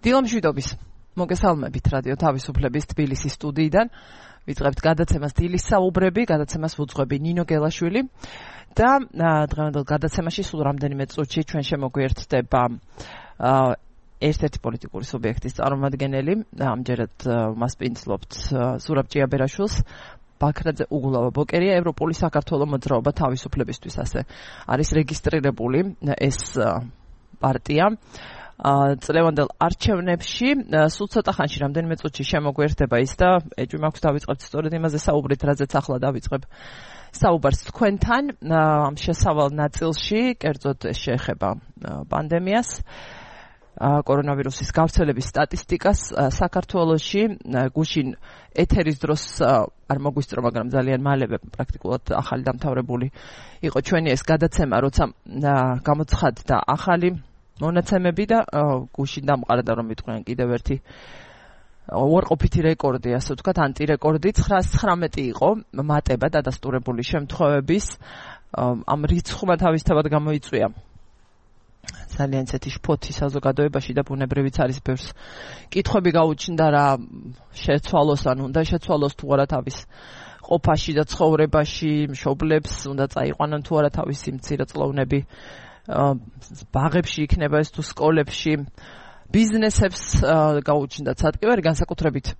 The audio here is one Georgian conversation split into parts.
დილამშვიდობის მოგესალმებით რადიო თავისუფლების თბილისის სტუდიიდან. ვიწყებთ გადაცემას დილის საუბრები, გადაცემას ვუძღვები ნინო გელაშვილი და დღევანდელ გადაცემაში სულ რამდენიმე წუთში ჩვენ შემოგვიერთდება ერთ-ერთი პოლიტიკური სუბიექტის წარმომადგენელი, ამჯერად მას პინძლობთ ზურაბ ჭიაბერაშვილს. ბაქრაძე უგულავა ბოკერია, ევროპული საქართველოს მოძრაობა თავისუფლებისთვის ასე არის რეგისტრირებული ეს პარტია. წლევანდელ არჩევნებში სულ ცოტა ხანში რამდენიმე წუთში შემოგვიერთდება ის და ეჭვი მაქვს დავიწყებთ სწორედ იმაზე საუბრით, რაზეც ახლა დავიწყებ საუბარს თქვენთან. ამ შესავალ ნაწილში კერძოდ შეეხება პანდემიას, კორონავირუსის გავრცელების სტატისტიკას საქართველოში. გუშინ ეთერის დროს არ მოგვისწრო, მაგრამ ძალიან მალევე პრაქტიკულად ახალი დამთავრებული იყო ჩვენი ეს გადაცემა, როცა გამოცხადდა ახალი მონაცემები და გუშინ დამყარდა, რომ ვიტყვიან კიდევ ერთი უარყოფითი რეკორდი, ასე ვთქვათ, ანტირეკორდი. 919 იყო მატება დადასტურებული შემთხვევების. ამ რიცხვმა თავისთავად გამოიწვია ძალიან ისეთი შფოთი საზოგადოებაში და ბუნებრივიც არის ბევრს კითხვები გაუჩნდა, რა შეცვალოს, ან უნდა შეცვალოს თუ არა თავის ყოფაში და ცხოვრებაში, მშობლებს უნდა წაიყვანონ თუ არა თავისი მცირეწლოვნები ბაღებში იქნება ეს თუ სკოლებში, ბიზნესებს გაუჩნდა ცატკივარი, განსაკუთრებით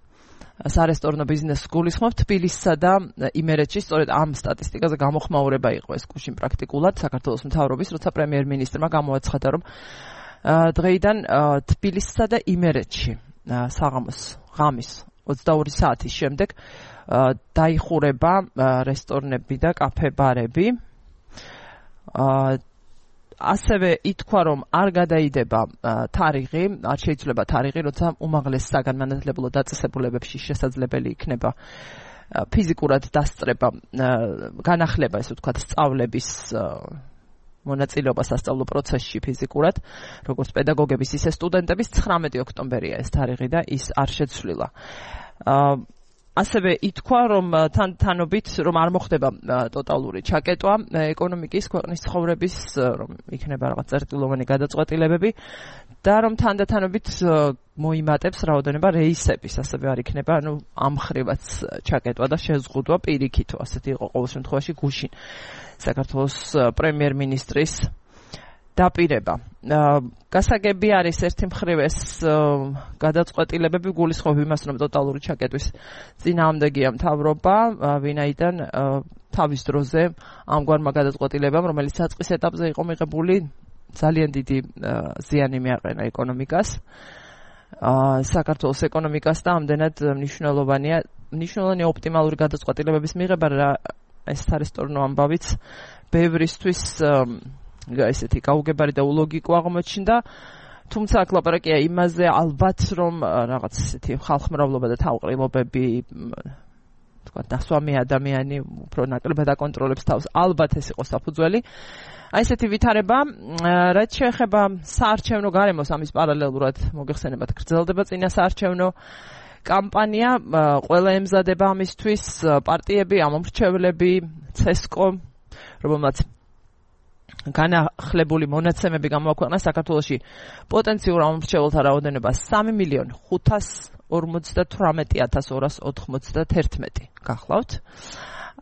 სარესტორნო ბიზნესს გულისხმობ თბილისსა და იმერეთში. სწორედ ამ სტატისტიკაზე გამოხმაურება იყო ეს გუშინ პრაქტიკულად საქართველოს მთავრობის, როცა პრემიერ-მინისტრმა გამოაცხადა, რომ დღეიდან თბილისსა და იმერეთში საღამოს ღამის 22 საათის შემდეგ დაიხურება რესტორნები და კაფე-ბარები. ასევე ითქვა, რომ არ გადაიდება თარიღი, არ შეიძლება თარიღი, როცა უმაღლეს საგანმანათლებლო დაწესებულებებში შესაძლებელი იქნება ფიზიკურად დასწრება, განახლება, ესე ვთქვათ, სწავლების მონაწილეობა სასწავლო პროცესში ფიზიკურად, როგორც პედაგოგების, ისე სტუდენტების. 19 ოქტომბერია ეს თარიღი და ის არ შეცვლილა. ასევე ითქვა, რომ თანობით რომ არ მოხდება ტოტალური ჩაკეტვა ეკონომიკის, ქვეყნის ცხოვრების, რომ იქნება რაღაც წერტილოვანი გადაწყვეტილებები და რომ თანდათანობით მოიმატებს რაოდენობა რეისების, ასევე არ იქნება, ამ ხრივაც ჩაკეტვა და შეზღუდვა პირიქითო. ასეთი იყო ყოველ შემთხვევაში გუშინ საქართველოს პრემიერ-მინისტრის დაპირება. გასაგები არის ერთი მხრივ ეს გადაწყვეტილებები გულისხმობ იმას, რომ ტოტალური ჩაკეტვის წინააღმდეგია მთავრობა, ვინაიდან თავის დროზე ამგვარმა გადაწყვეტილებამ, რომელიც საწყის ეტაპზე იყო მიღებული, ძალიან დიდი ზიანი მიაყენა ეკონომიკას, საქართველოს ეკონომიკას და ამდენად მნიშვნელოვანი ოპტიმალური გადაწყვეტილებების მიღება, რა ეს სარესტორნო ამბავიც ბევრისთვის ესეთი გაუგებარი და ულოგიკო აღმოჩნდა. თუმცა აქ ლაპარაკია იმაზე, ალბათ რომ რაღაც ესეთი ხალხმრავლობა და თავყრილობები, თქვათ, დასვამი ადამიანი უფრო ნაკლებად აკონტროლებს თავს. ალბათ ეს იყო საფუძველი. აი ესეთი ვითარება, რაც შეეხება საარჩევნო გარემოს, ამის პარალელურად მოგეხსენებათ, გრძელდება წინა საარჩევნო კამპანია, ყველა ემზადება ამისთვის, პარტიები, ამომრჩევლები, ცესკო, რომელმაც განახლებული მონაცემები გამოაქვეყნა საქართველოში პოტენციურ ამომრჩეველთა რაოდენობა 3,598,291 გახლავთ.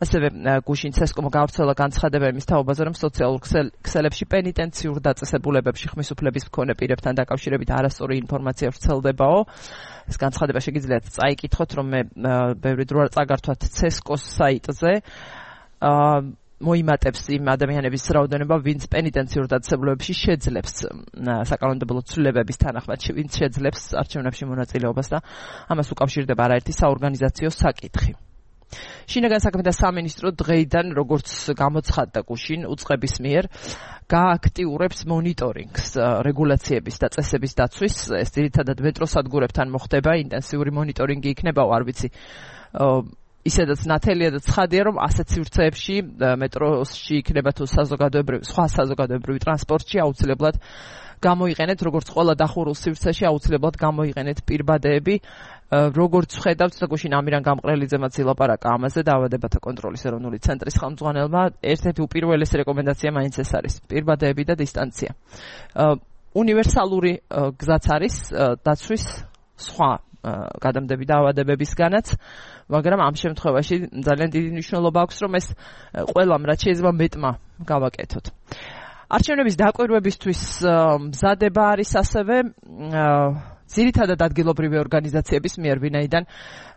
ასევე გუშინ ცესკომ გავრცელა განცხადება იმის თაობაზე, რომ სოციალურ ქსელებში პენიტენციურ დაწესებულებებში ხმის უფლების მქონე პირებთან დაკავშირებით არასწორი ინფორმაცია ვრცელდებაო. ეს განცხადება შეგიძლიათ წაიკითხოთ, რომ მე ბევრი დრო არ წაგართვათ ცესკოს საიტზე. მოიმატებს იმ ადამიანების რაოდენობა, ვინც პენიტენციურ დაწესებულებებში შეძლებს საკანონმდებლო ცვლილებების თანახმად, ვინც შეძლებს არჩევნებში მონაწილეობას და ამას უკავშირდება არაერთი საორგანიზაციო საკითხი. შინაგან საქმეთა სამინისტრო დღეიდან, როგორც გამოცხადდა გუშინ, უწყების მიერ გააქტიურებს მონიტორინგს რეგულაციების და წესების დაცვის. ეს ძირითადად მეტროსადგურებთან მოხდება, ინტენსიური მონიტორინგი იქნებაო, არ ვიცი, ისედაც ნათელია და ცხადია, რომ ასეთ სივრცეებში მეტროში იქნება თუ სხვა საზოგადოებრივი ტრანსპორტში აუცილებლად გამოიყენეთ, როგორც ყველა დახურულ სივრცეში აუცილებლად გამოიყენეთ პირბადეები. როგორც ხედავთ, გუშინ ამირან გამყრელიძემაც ილაპარაკა ამაზე დაავადებათა კონტროლის ეროვნული ცენტრის ხელმძღვანელმა, ერთ-ერთი უპირველესი რეკომენდაცია მაინც ეს არის: პირბადეები და დისტანცია. უნივერსალური გზაც არის დაცვის სხვა გადამდები დაავადებებისგანაც, მაგრამ ამ შემთხვევაში ძალიან დიდი მნიშვნელობა აქვს, რომ ეს ყველამ რაც შეიძლება მეტმა გავაკეთოთ. არჩევნების დაკვირვებისთვის მზადება არის ასევე ძირითადად ადგილობრივი ორგანიზაციების მიერ, ვინაიდან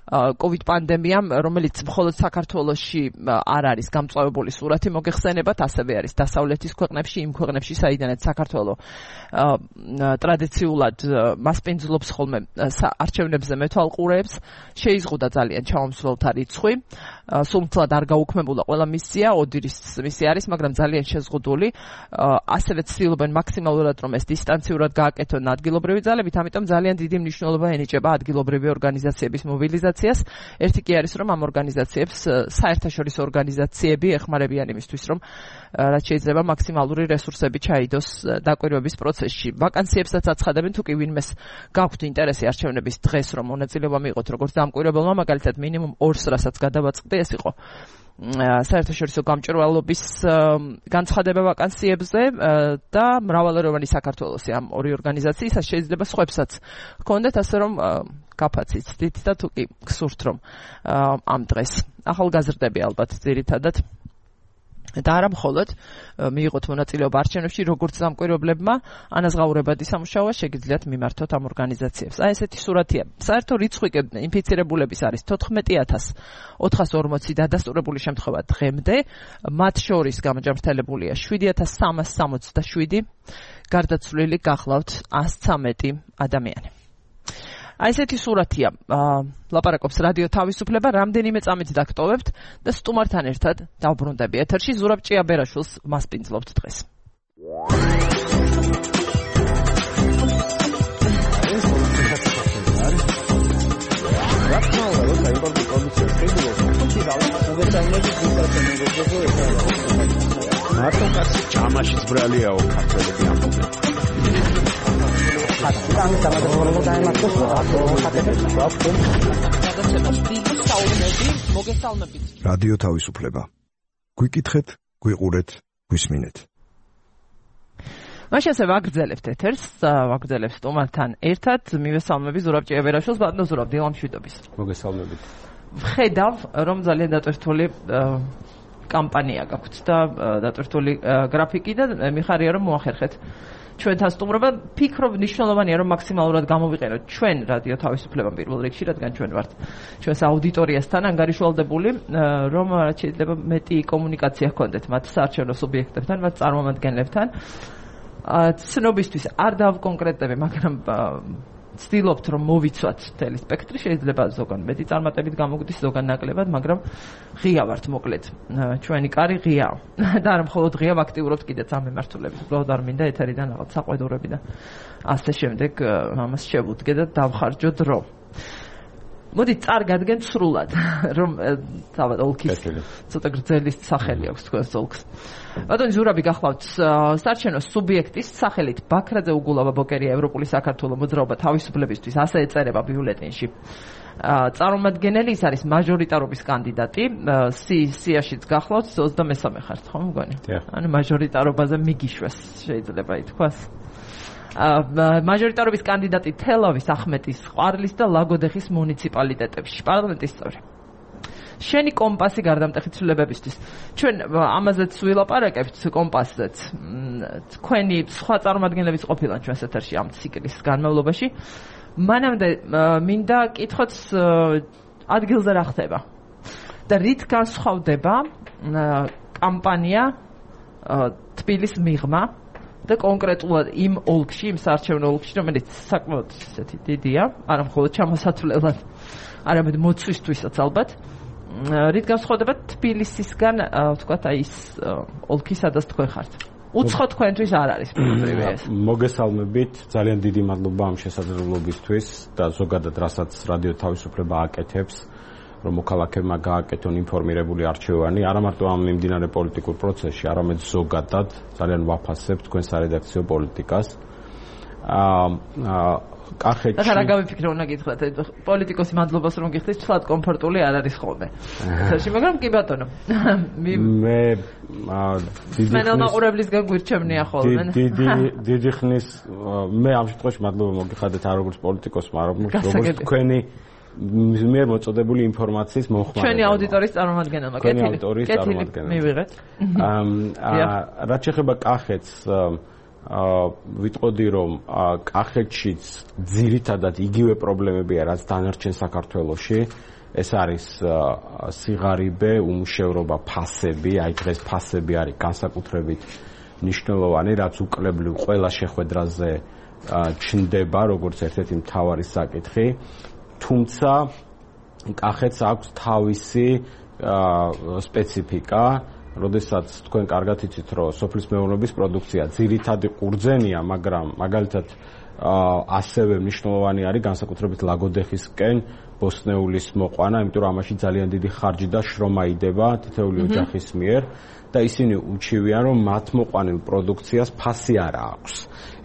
COVID პანდემიამ, რომელიც მხოლოდ საქართველოში არ არის გამწვავებული სურათი მოგეხსენებათ, ასევე არის დასავლეთის ქვეყნებში, იმ ქვეყნებში, საიდანაც საქართველო ტრადიციულად მასპინძლობს ხოლმე არჩევნებზე მეთვალყურეებს, შეიზღუდა ძალიან ჩამომსვლელთა რიცხვი, სულთლად არ გაუქმებულა ყველა მისია, ოდირის მისია არის, მაგრამ ძალიან შეზღუდული, ასევე ცდილობენ მაქსიმალურად რომ ეს დისტანციურად გააკეთონ ადგილობრივი ძალებით, ამიტომ ძალიან დიდი მნიშვნელობა ენიჭება ადგილობრივი ორგანიზაციების მობილიზაციას. ერთი კი არის, რომ ამ ორგანიზაციებს საერთაშორისო ორგანიზაციები ეხმარებიან იმისთვის, რომ რაც შეიძლება მაქსიმალური რესურსები ჩაიდოს დაკვირვების პროცესში. ვაკანსიებსაც აცხადებენ, თუ კი ვინმეს გაქვთ ინტერესი არჩევნების დღეს, რომ მონაწილეობა მიიღოთ როგორც დამკვირვებელმა, მაგალითად მინიმუმ 200, რასაც გადავაწყდი, ეს იყო საერთაშორისო გამჭვირვალობის განცხადება ვაკანსიებზე და მრავალეროვანი საქართველოსი ამ ორი ორგანიზაციის შეიძლება სხვებსაც ჰქონდეთ, ასე რომ გაფაციცდით და თუ კი გსურთ რომ ამ დღეს ახალგაზრდები ალბათ ძირითადად და არა მხოლოდ მიიღოთ მონაწილეობა არჩევნებში, როგორც დამკვირვებლებმა, ანაზღაურებადი სამუშაოა შეგიძლიათ მიმართოთ ამ ორგანიზაციებს. აი ესეთი სურათია. საერთო რიცხვი ინფიცირებულების არის 14,440 დადასტურებული შემთხვევა დღემდე, მათ შორის გამოჯამრთელებულია 7,367, გარდაცვლილი გახლავთ 113 ადამიანი. აი ესეთი სურათია. ლაპარაკობს რადიო თავისუფლება, რამდენიმე წამით დაგტოვებთ და სტუმართან ერთად დავბრუნდები ეთერში. ზურაბ ჭიაბერაშვილს მასპინძლობთ დღეს. მარტო კაცი ჭამაშიც ბრალიაო ქართველები ამბობენ. რადიო თავისუფლება. გვიკითხეთ, გვიყურეთ, გვისმინეთ. მაშინ ასე ვაგრძელებთ ეთერს, ვაგრძელებთ სტუმართან ერთად, მივესალმები ზურაბ ჭიაბერაშვილს, ბატონო ზურაბ, დილამშვიდობის. მოგესალმებით. ვხედავ, რომ ძალიან დატვირთული კამპანია გაქვთ და დატვირთული გრაფიკი და მიხარია რომ მოახერხეთ ჩვენთან სტუმრობა. ფიქრობ მნიშვნელოვანია რომ მაქსიმალურად გამოვიყენოთ ჩვენ რადიო თავისუფლება პირველ რიგში, რადგან ჩვენ ვართ ჩვენს აუდიტორიასთან ანგარიშვალდებული, რომ შეიძლება მეტი კომუნიკაცია ჰქონდეთ მათ საარჩევნო სუბიექტებთან, მათ წარმომადგენლებთან. ცნობისთვის არ დავკონკრეტები, მაგრამ ვცდილობთ რომ მოვიცვათ მთელი სპექტრი, შეიძლება ზოგან მეტი წარმატებით გამოგვდის, ზოგან ნაკლებად, მაგრამ ღია ვართ მოკლედ. ჩვენი კარი ღიაა. და არა მხოლოდ ღია, ვაქტიურობთ კიდეც ამ მიმართულებით. უბრალოდ არ მინდა ეთერიდან რაღაც საყვედურები და ასე შემდეგ ამას შევუდგე და დავხარჯო დრო. მოდით წარგადგენ სრულად, რომ თავად ოლქის ცოტა გრძელი სახელი აქვს თქვენს ოლქს. ბატონი ზურაბი გახლავთ საარჩევნო სუბიექტის სახელით ბაქრაძე უგულავა ბოკერია ევროპული საქართველოს მოძრაობა თავისუფლებისთვის, ასე ეწერება ბიულეტენში. წარმომადგენელი ის არის მაჟორიტარობის კანდიდატი, სიაშიც გახლავთ 23 ხართ, ხო მგონი? ანუ მაჟორიტარობაზე მიგიშვეს შეიძლება ითქვას. მაჟორიტარობის კანდიდატი თელავის, ახმეტის, ყვარლის და ლაგოდეხის მუნიციპალიტეტებში, პარლამენტის წევრი. შენი კომპასი გარდამტეხი ცვლილებებისთვის. ჩვენ ამაზეც ვილაპარაკებთ კომპასზეც. თქვენი სხვა წარმომადგენლებიც ყოფილან ჩვენს ეთერში ამ ციკლის განმავლობაში. მანამდე მინდა კითხოთ ადგილზე რა ხდება და რით განსხვავდება კამპანია თბილისის მიღმა და კონკრეტულად იმ ოლქში, იმ საარჩევნო ოლქში, რომელიც საკმაოდ ისეთი დიდია, არა მხოლოდ ჩამოსათვლელად, არამედ მოცვისთვისაც ალბათ. რით განსხვავდება თბილისისგან, ვთქვათ, აი ის ოლქი, სადაც თქვენ ხართ? უცხო თქვენთვის არ არის პრობლემა ეს. მოგესალმებით, ძალიან დიდი მადლობა ამ შესაძლებლობისთვის და ზოგადად რასაც რადიო თავისუფლება აკეთებს, რომ მოქალაქეებმა გააკეთონ ინფორმირებული არჩევანი, არა მარტო ამ მიმდინარე პოლიტიკურ პროცესში, არამედ ზოგადად ძალიან ვაფასებ თქვენ სარედაქციო პოლიტიკას. კახეთში და რა გამიფიქრე უნდა გითხრათ პოლიტიკოსი მადლობას რომ გიხდით ცლად კომფორტული არ არის ხოლმე ესაში მაგრამ კი ბატონო მე მენელმაყურებლისგან გვირჩევნია ხოლმე დიდი ხნის მე ამ შემთხვევაში მადლობა მოგიხადეთ არ როგორც პოლიტიკოსმა როგორც თქვენი მე მოწოდებული ინფორმაციის მომხმარებელი ჩვენი აუდიტორიის წარმომადგენელმა კეთილი მივიღეთ რაც შეეხება კახეთს ვიტყოდი რომ კახეთშიც ძირითადად იგივე პრობლემებია რაც დანარჩენ საქართველოში ეს არის სიღარიბე უმუშევრობა ფასები აი დღეს ფასები არის განსაკუთრებით მნიშვნელოვანი რაც უკლებლივ ყველა შეხვედრაზე ჩნდება როგორც ერთ-ერთი მთავარი საკითხი თუმცა კახეთს აქვს თავისი სპეციფიკა როდესაც თქვენ კარგად იცით რომ სოფლის მეურნეობის პროდუქცია ძირითადი ყურძენია მაგრამ მაგალითად ასევე მნიშვნელოვანი არის განსაკუთრებით ლაგოდეხისკენ ბოსნეულის მოყვანა იმიტომ რომ ამაში ძალიან დიდი ხარჯი და შრომა იდება თითოეული ოჯახის მიერ და ისინი უჩივიან რომ მათ მოყვანილ პროდუქციას ფასი არ აქვს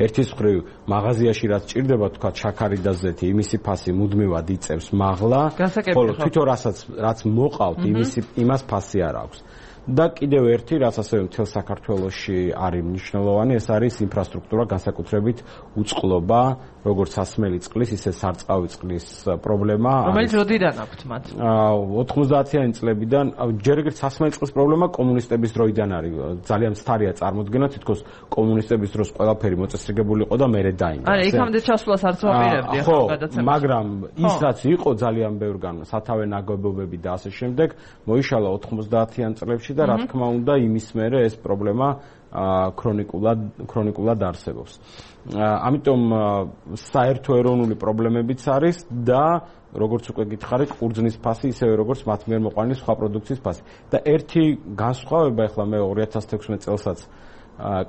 ერთის მხრივ მაღაზიაში რაც ჭირდება თქვა შაქარი და ზეთი იმისი ფასი მუდმივად იწევს მაღლა ხოლო თვითონ რაც მოყავთ იმას ფასი არ აქვს და კიდევ ერთი რაც ასევე მთელ საქართველოში არის მნიშვნელოვანი ეს არის ინფრასტრუქტურა განსაკუთრებით უწყლობა როგორც სასმელი წყლის ისე სარწყავი წყლის პრობლემა რომელიც როდიდან აქვთ მათ 90-იანი წლებიდან ჯერ ეგრეთ სასმელი წყლის პრობლემა კომუნისტების დროიდან არის ძალიან მცდარია წარმოქმნა თითქოს კომუნისტების დროს ყველაფერი მოწესრიგებული იყო და მერე დაინგრა არა იქამდე ჩასვლას არც ვაპირებდი ხო მაგრამ ის რაც იყო ძალიან ბევრგან სათავე ნაგებობები და ასე შემდეგ მოიშალა 90-იან წლებში და რა თქმა უნდა იმის მერე ეს პრობლემა ქრონიკულად არსებობს. ამიტომ საერთო ეროვნული პრობლემებიც არის და როგორც უკვე გითხარით, ყურძნის ფასი ისევე როგორც მათ მიერ მოყვანილი სხვა პროდუქციის ფასი. და ერთი განსხვავება ახლა მე 2016 წელსაც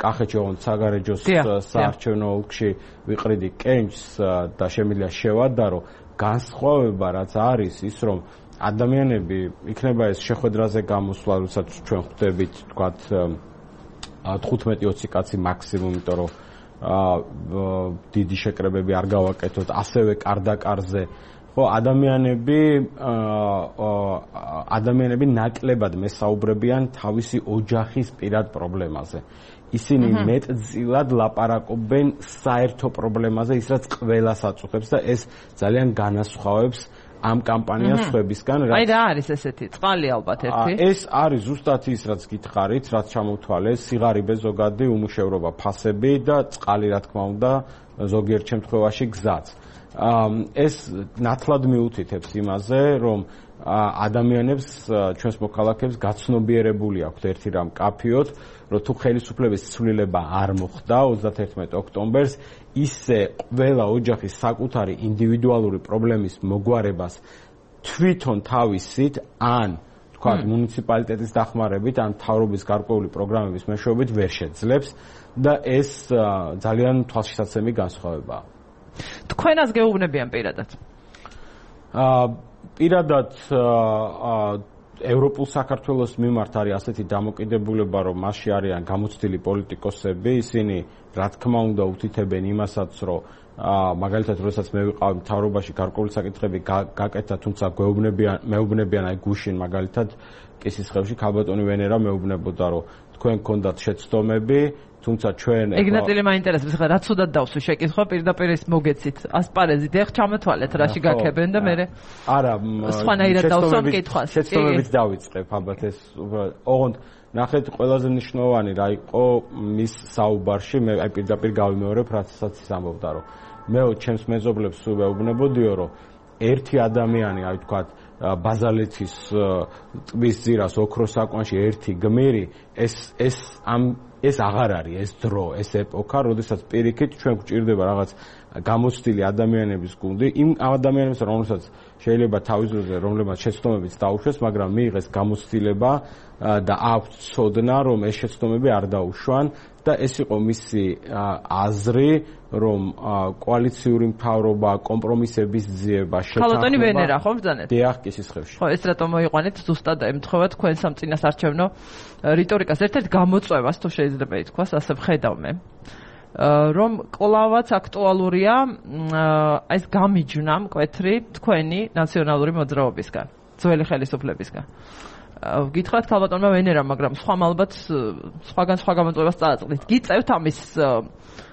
კახეთში ოღონდ საგარეჯოს საარჩევნო ოლქში ვიყრიდი კენჭს და შემიძლია შევადარო განსხვავება რაც არის ის რომ ადამიანები იქნება ეს შეხვედრაზე გამოსვლა, როდესაც ჩვენ ხვდებით, თქვათ 15-20 კაცი მაქსიმუმ, იმიტომ რომ დიდი შეკრებები არ გავაკეთოთ, ასევე კარდაკარზე. ხო, ადამიანები ნაკლებად მესაუბრებიან თავისი ოჯახის პირად პრობლემაზე. ისინი მეტწილად ლაპარაკობენ საერთო პრობლემაზე, ის რაც ყველას აწუხებს და ეს ძალიან განასხვავებს ამ კამპანიას სხვებისგან. აი რა არის ესეთი წყალი ალბათ ერთი? ეს არის ზუსტად ის რაც გითხარით, რაც ჩამოთვალეს, სიღარიბე ზოგადი უმუშევრობა ფასები და წყალი რა თქმა უნდა ზოგიერთ შემთხვევაში გზაც. ეს ნათლად მიუთითებს იმაზე, რომ ადამიანებს, ჩვენს მოქალაქეებს გაცნობიერებული აქვთ ერთი რამ კაფიოთ, რომ თუ ხელისუფლების ცვლილება არ მოხდა 31 ოქტომბერს, ისე ყველა ოჯახის საკუთარი ინდივიდუალური პრობლემის მოგვარებას თვითონ თავისით ან თქვათ მუნიციპალიტეტის დახმარებით, ან მთავრობის გარკვეული პროგრამების მეშვეობით ვერ შეძლებს და ეს ძალიან თვალშისაცემი განსხვავებაა. თქვენას გეუბნებიან პირადად? პირადად ევროპულ საქართველოს მიმართ არის ასეთი დამოკიდებულება, რომ მასში არიან გამოცდილი პოლიტიკოსები, ისინი რა თქმა უნდა უთითებენ იმასაც, რომ მაგალითად, როდესაც მე ვიყავი მთავრობაში გარკვეული საკითხები გაკეთა, თუმცა მეუბნებიან აი გუშინ მაგალითად კისისხევში ქალბატონი ვენერა მეუბნებოდა, რომ თქვენ გქონდათ შეცდომები, თუმცა ჩვენ ეგნატილი მაინტერესებს, ხა რა ცუდად დავსვი შეკითხვა პირდაპირ ის მოგეცით ასპარეზით, ეხ ჩამოთვალეთ რაში გაქებენ და მე არა სხვანაირად დავსვამ კითხვას. შეცდომებით დავიწყებ ალბათ ეს ოღონდ ნახეთ ყველაზე მნიშვნელოვანი რა იყო მის საუბარში, მე აი პირდაპირ გავიმეორებ რასაც ის ამბობდა, რომ მეო ჩემს მეზობლებს ვეუბნებოდიო, რომ ერთი ადამიანი, აი თქვათ ბაზალეთის ტბის ძირას ოქროს საკვანში ერთი გმირი, ეს აღარ არის ეს დრო, ეს ეპოქა, როდესაც პირიქით ჩვენ გვჭირდება რაღაც გამოცდილი ადამიანების გუნდი, იმ ადამიანებს, რომელსაც შეიძლება თავის დროზე, რომლებმაც შეცდომებიც დაუშვეს, მაგრამ მიიღეს გამოცდილება და აქვთ ცოდნა, რომ ეს შეცდომები არ დაუშვან და ეს იყო მისი აზრი, რომ კოალიციური მთავრობა, კომპრომისების ძიება, შეთანხმება. ქალბატონი ვენერა ხო ბრძანეთ? დიახ, კისისხევში. ხო, ეს რატომ მოიყვანეთ ზუსტად ემთხვევა თქვენ სამწინასარჩევნო რიტორიკას ერთ-ერთ გამოწვევას, თუ შეიძლება ითქვას, ასე ვხედავ მე. რომ კლავაც აქტუალურია აი ეს გამიჯვნა მკვეთრი თქვენი ნაციონალური მოძრაობისგან, ძველი ხელისუფლებისგან. გითხრათ ქალბატონმა ვენერამ, მაგრამ სხვამ ალბათ სხვაგან სხვა გამოწვევას წააწყდით. გიწევთ ამის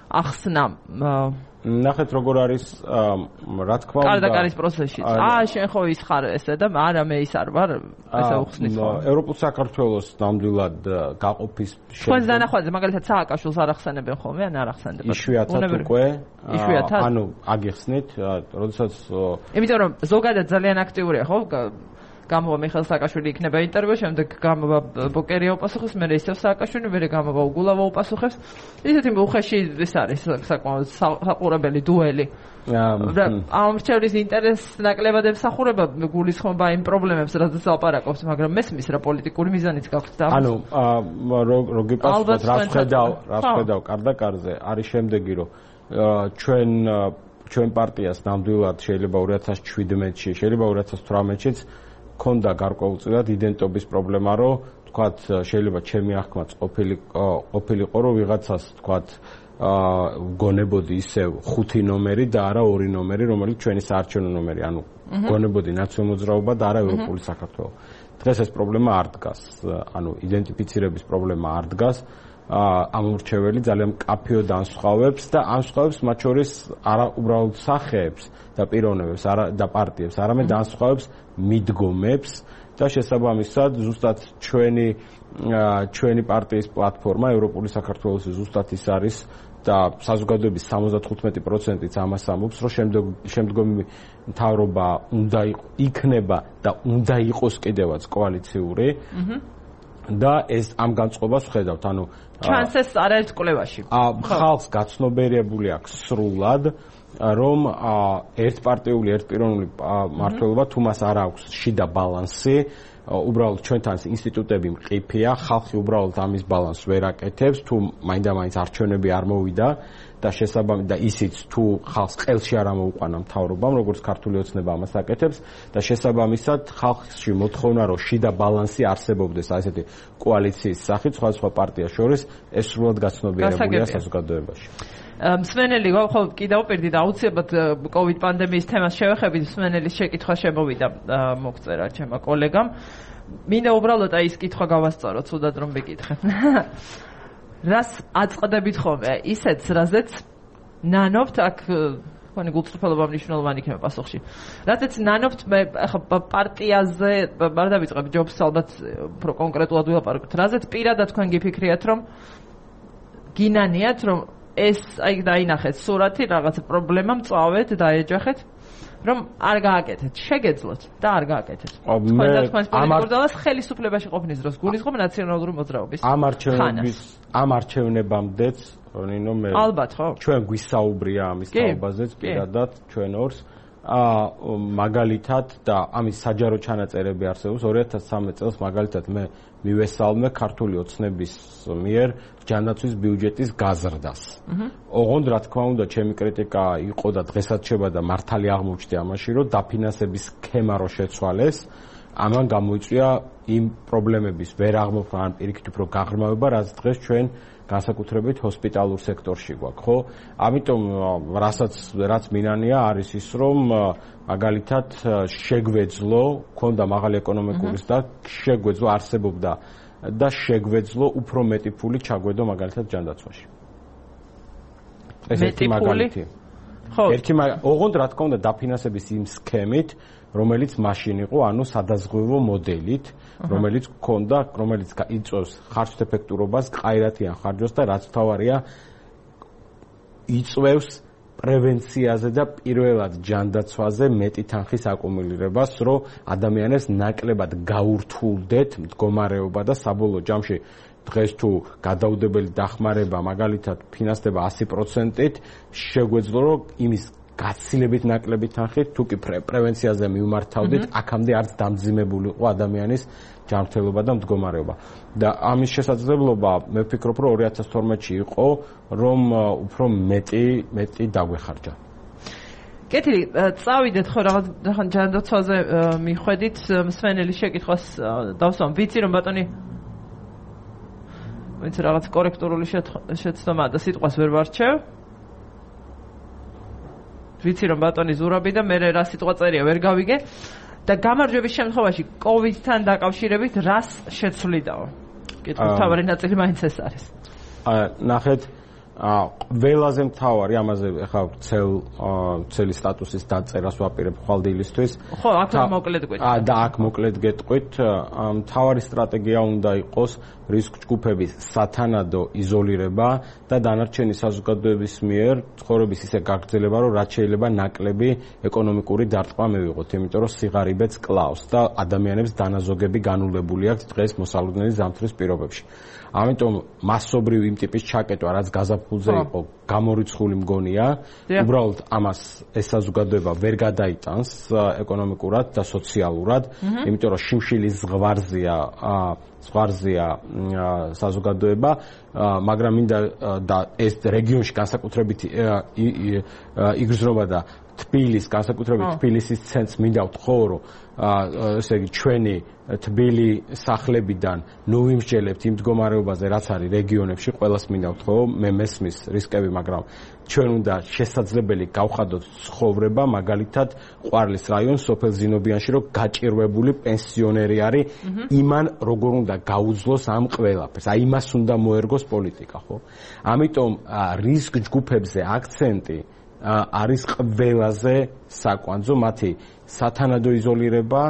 ახსნა? ნახეთ როგორ არის რა თქმა უნდა კარდაკარის პროცესში. შენ ხო ის ხარ ესე და არა მე ის არ ვარ, ესე უხსნით ხო? ევროპულ საქართველოს ნამდვილად გაყოფის თქვენ დანახვაზე მაგალითად სააკაშვილს არ ახსენებენ ხოლმე, ან არ ახსენდებათ? იშვიათად უკვე. ანუ აგიხსნით, როდესაც იმიტომ რომ ზოგადად ძალიან აქტიურია ხო? გამოვა მიხეილ სააკაშვილი იქნება ინტერვიუ, შემდეგ გამოვა ბოკერია უპასუხებს, მერე ისევ სააკაშვილი, მერე გამოვა უგულავა უპასუხებს. ისეთი უხეში ის არის საკმაოდ საყურებელი დუელი. ამ რჩევლის ინტერესს ნაკლებად ემსახურება გულისხმობა იმ პრობლემებს, რაზეც ლაპარაკობს, მაგრამ მესმის რა პოლიტიკური მიზანიც გაქვთ და ანუ რო გიპასუხოთ რას ხედავ კარდაკარზე, არის შემდეგი რომ ჩვენ პარტიას ნამდვილად შეიძლება 2017-ში, შეიძლება 2018-შიც ქონდა გარკვეულწილად იდენტობის პრობლემა, რომ თქვათ შეიძლება ჩემი აღქმაც ყოფილიყო, რომ ვიღაცას თქვათ გონებოდი ისევ 5 ნომერი და არა 2 ნომერი, რომელიც ჩვენი საარჩევნო ნომერი, ანუ გონებოდი ნაციონალური მოძრაობა და არა ევროპული საქართველო. დღეს ეს პრობლემა არ დგას, ანუ იდენტიფიცირების პრობლემა არ დგას. ამორჩეველი ძალიან მკაფიოდ ანსხვავებს და ანსხვავებს მათ შორის არა უბრალოდ სახეებს და პიროვნებებს და პარტიებს, არამედ ანსხვავებს მიდგომებს და შესაბამისად ზუსტად ჩვენი პარტიის პლატფორმა ევროპული საქართველოს ზუსტად ის არის და საზოგადოების 75%-იც ამას ამბობს, რომ შემდგომი მთავრობა უნდა იქნება და უნდა იყოს კიდევაც კოალიციური. და ეს ამ განწყობას ვხედავთ, ანუ ჩანსეს არაერთ კვლევაში. ხალხს გაცნობიერებული აქვს სრულად, რომ ერთპარტიული, ერთპიროვნული მმართველობა თუ მას არ აქვს შიდა ბალანსი, უბრალოდ ჩვენთან ინსტიტუტები მყიფეა, ხალხი უბრალოდ ამის ბალანსს ვერ აკეთებს, თუ მაინდა-მაინც არჩევნები არ მოვიდა და შესაბამისად და ისიც თუ ხალხს ყელში არ ამოუყვანა მთავრობამ, როგორც ქართული ოცნება ამას აკეთებს და შესაბამისად ხალხში მოთხოვნა, რომ შიდა ბალანსი არსებობდეს აი ესეთი კოალიციის სახით სხვადასხვა პარტიას შორის, ეს სრულად გაცნობიერებულია საზოგადოებაში. მსმენელი ხო კიდევ პირდი და აუცილებლად COVID პანდემიის თემას შევეხებით, მსმენელის შეკითხვა შემოვიდა მოგწერა ჩემმა კოლეგამ. მინდა უბრალოდ აი ეს კითხვა გავასწოროთ, თუდად რომ მეკითხე. რას აწყდებით ხოლმე ისეთს, რაზეც ნანობთ აქ თქვენი გულწრფელობა მნიშვნელოვანი იქნება პასუხში. რაზეც ნანობთ მე ახლა პარტიაზე არ დავიწყებ ჯობს ალბათ უფრო კონკრეტულად ვილაპარაკოთ. რაზეც პირადად თქვენ გიფიქრიათ, რომ გინანიათ, რომ ეს აი დაინახეთ სურათი, რაღაც პრობლემა მწავეთ, დაეჯახეთ, რომ არ გააკეთეთ, შეგეძლოთ და არ გააკეთეთ. თქვენ და თქვენს პოლიტიკურ ძალას ხელისუფლებაში ყოფნის დროს გულისხმობ ნაციონალური მოძრაობის. ამ არჩევნებამდეც, ნინო მე ალბათ ხო? ჩვენ გვისაუბრია ამის თაობაზეც პირადად ჩვენ ორს. მაგალითად და ამის საჯარო ჩანაწერები არსებობს 2013 წელს მაგალითად მე მივესალმე ქართული ოცნების მიერ ჯანდაცვის ბიუჯეტის გაზრდას. ოღონდ რა თქმა უნდა ჩემი კრიტიკა იყო და დღესაც შევა და მართალი აღმოჩნდა ამაში, რომ დაფინანსების სქემა რო შეცვალეს, ამან გამოიწვია იმ პრობლემების ვერ აღმოფხვრა ან პირიქით უფრო გაღრმავება, რაც დღეს ჩვენ განსაკუთრებით ჰოსპიტალურ სექტორში გვაქვს, ხო? ამიტომ რაც მინანია არის ის, რომ მაგალითად შეგვეძლო, ქონდა მაღალი ეკონომიკური და შეგვეძლო არსებობდა და შეგვეძლო უფრო მეტი ფული ჩაგვედო მაგალითად ჯანდაცვაში. ეს ერთი მაგალითი. ხო. ოღონდ რა თქმა უნდა დაფინანსების იმ სქემით, რომელიც მაშინ იყო, ანუ სადაზღვევო მოდელით, რომელიც გქონდა, რომელიც იწვევს ხარჯთ ეფექტურობას, ყაირათიან ხარჯოს და რაც თავარია იწვევს პრევენციაზე და პირველად ჯანდაცვაზე მეტი თანხის აკუმულირებას, რომ ადამიანებს ნაკლებად გაურთულდეთ მდგომარეობა და საბოლოო ჯამში დღეს თუ გადაუდებელი დახმარება მაგალითად ფინანსდება 100%-ით, შეგვეძლო რომ იმის გაცილებით ნაკლები თანხით თუ კი პრევენციაზე მივმართავდით, აქამდე არც დამძიმებულიყო ადამიანის ჯანმრთელობა და მდგომარეობა. და ამის შესაძლებლობა მე ვფიქრობ, რომ 2012-ში იყო, რომ უფრო მეტი დაგვეხარჯა. კეთილი, წავიდეთ ხო რაღაც ჯანდაცვაზე მიხვედით, მსმენელის შეკითხვას დავსვამ. ვიცი რომ ბატონი ვინც რაღაც კორექტურული შეცდომა და სიტყვას ვერ ვარჩევ. ვიცი რომ ბატონი ზურაბი და მე რა სიტყვა წერია ვერ გავიგე და გამარჯვების შემთხვევაში COVID-თან დაკავშირებით რას შეცვლიდაო? კითხვის თავარი ნაწილი მაინც ეს არის. ნახეთ ველაზე მთავარი ამაზე ახლა ცელი სტატუსის დაწერას ვაპირებ ხვალდილისთვის. ხო, აქ მოკლედ გეტყვით. და აქ მოკლედ გეტყვით, მთავარი სტრატეგია უნდა იყოს რისკ ჯგუფების სათანადო იზოლირება და დანარჩენი საზოგადოების მიერ ცხოვრების ისე გაგრძელება, რომ რაც შეიძლება ნაკლები ეკონომიკური დარტყმა მივიღოთ, იმიტომ რომ სიღარიბეც კლავს და ადამიანებს დანაზოგები განულებული აქვს დღეს მოსალოდნელი ზამთრის პირობებში. ამიტომ მასობრივ იმ ტიპის ჩაკეტვა, რაც გაზაფხულზე იყო, გამორიცხული მგონია, უბრალოდ ამას ეს საზოგადოება ვერ გადაიტანს ეკონომიკურად და სოციალურად, იმიტომ რომ შიმშილის ზღვარზეა საზოგადოება, მაგრამ მინდა და ეს რეგიონში განსაკუთრებით იგრძნობა და თბილის, განსაკუთრებით თბილისის ცენტრს მინდა ვთხოვ, რომ ესე იგი ჩვენი თბილი სახლებიდან ნუ ვიმსჯელებთ იმ მდგომარეობაზე, რაც არის რეგიონებში, ყველას მინდა ვთხოვ, მე მესმის რისკები, მაგრამ ჩვენ უნდა შესაძლებელი გავხადოთ ცხოვრება, მაგალითად, ყვარლის რაიონს, სოფელ ზინობიანში, რომ გაჭირვებული პენსიონერი არის, იმან როგორ უნდა გაუძლოს ამ ყველაფერს. აი იმას უნდა მოერგოს პოლიტიკა, ხო? ამიტომ რისკ ჯგუფებზე აქცენტი არის ყველაზე საკვანძო, მათი სათანადო იზოლირება,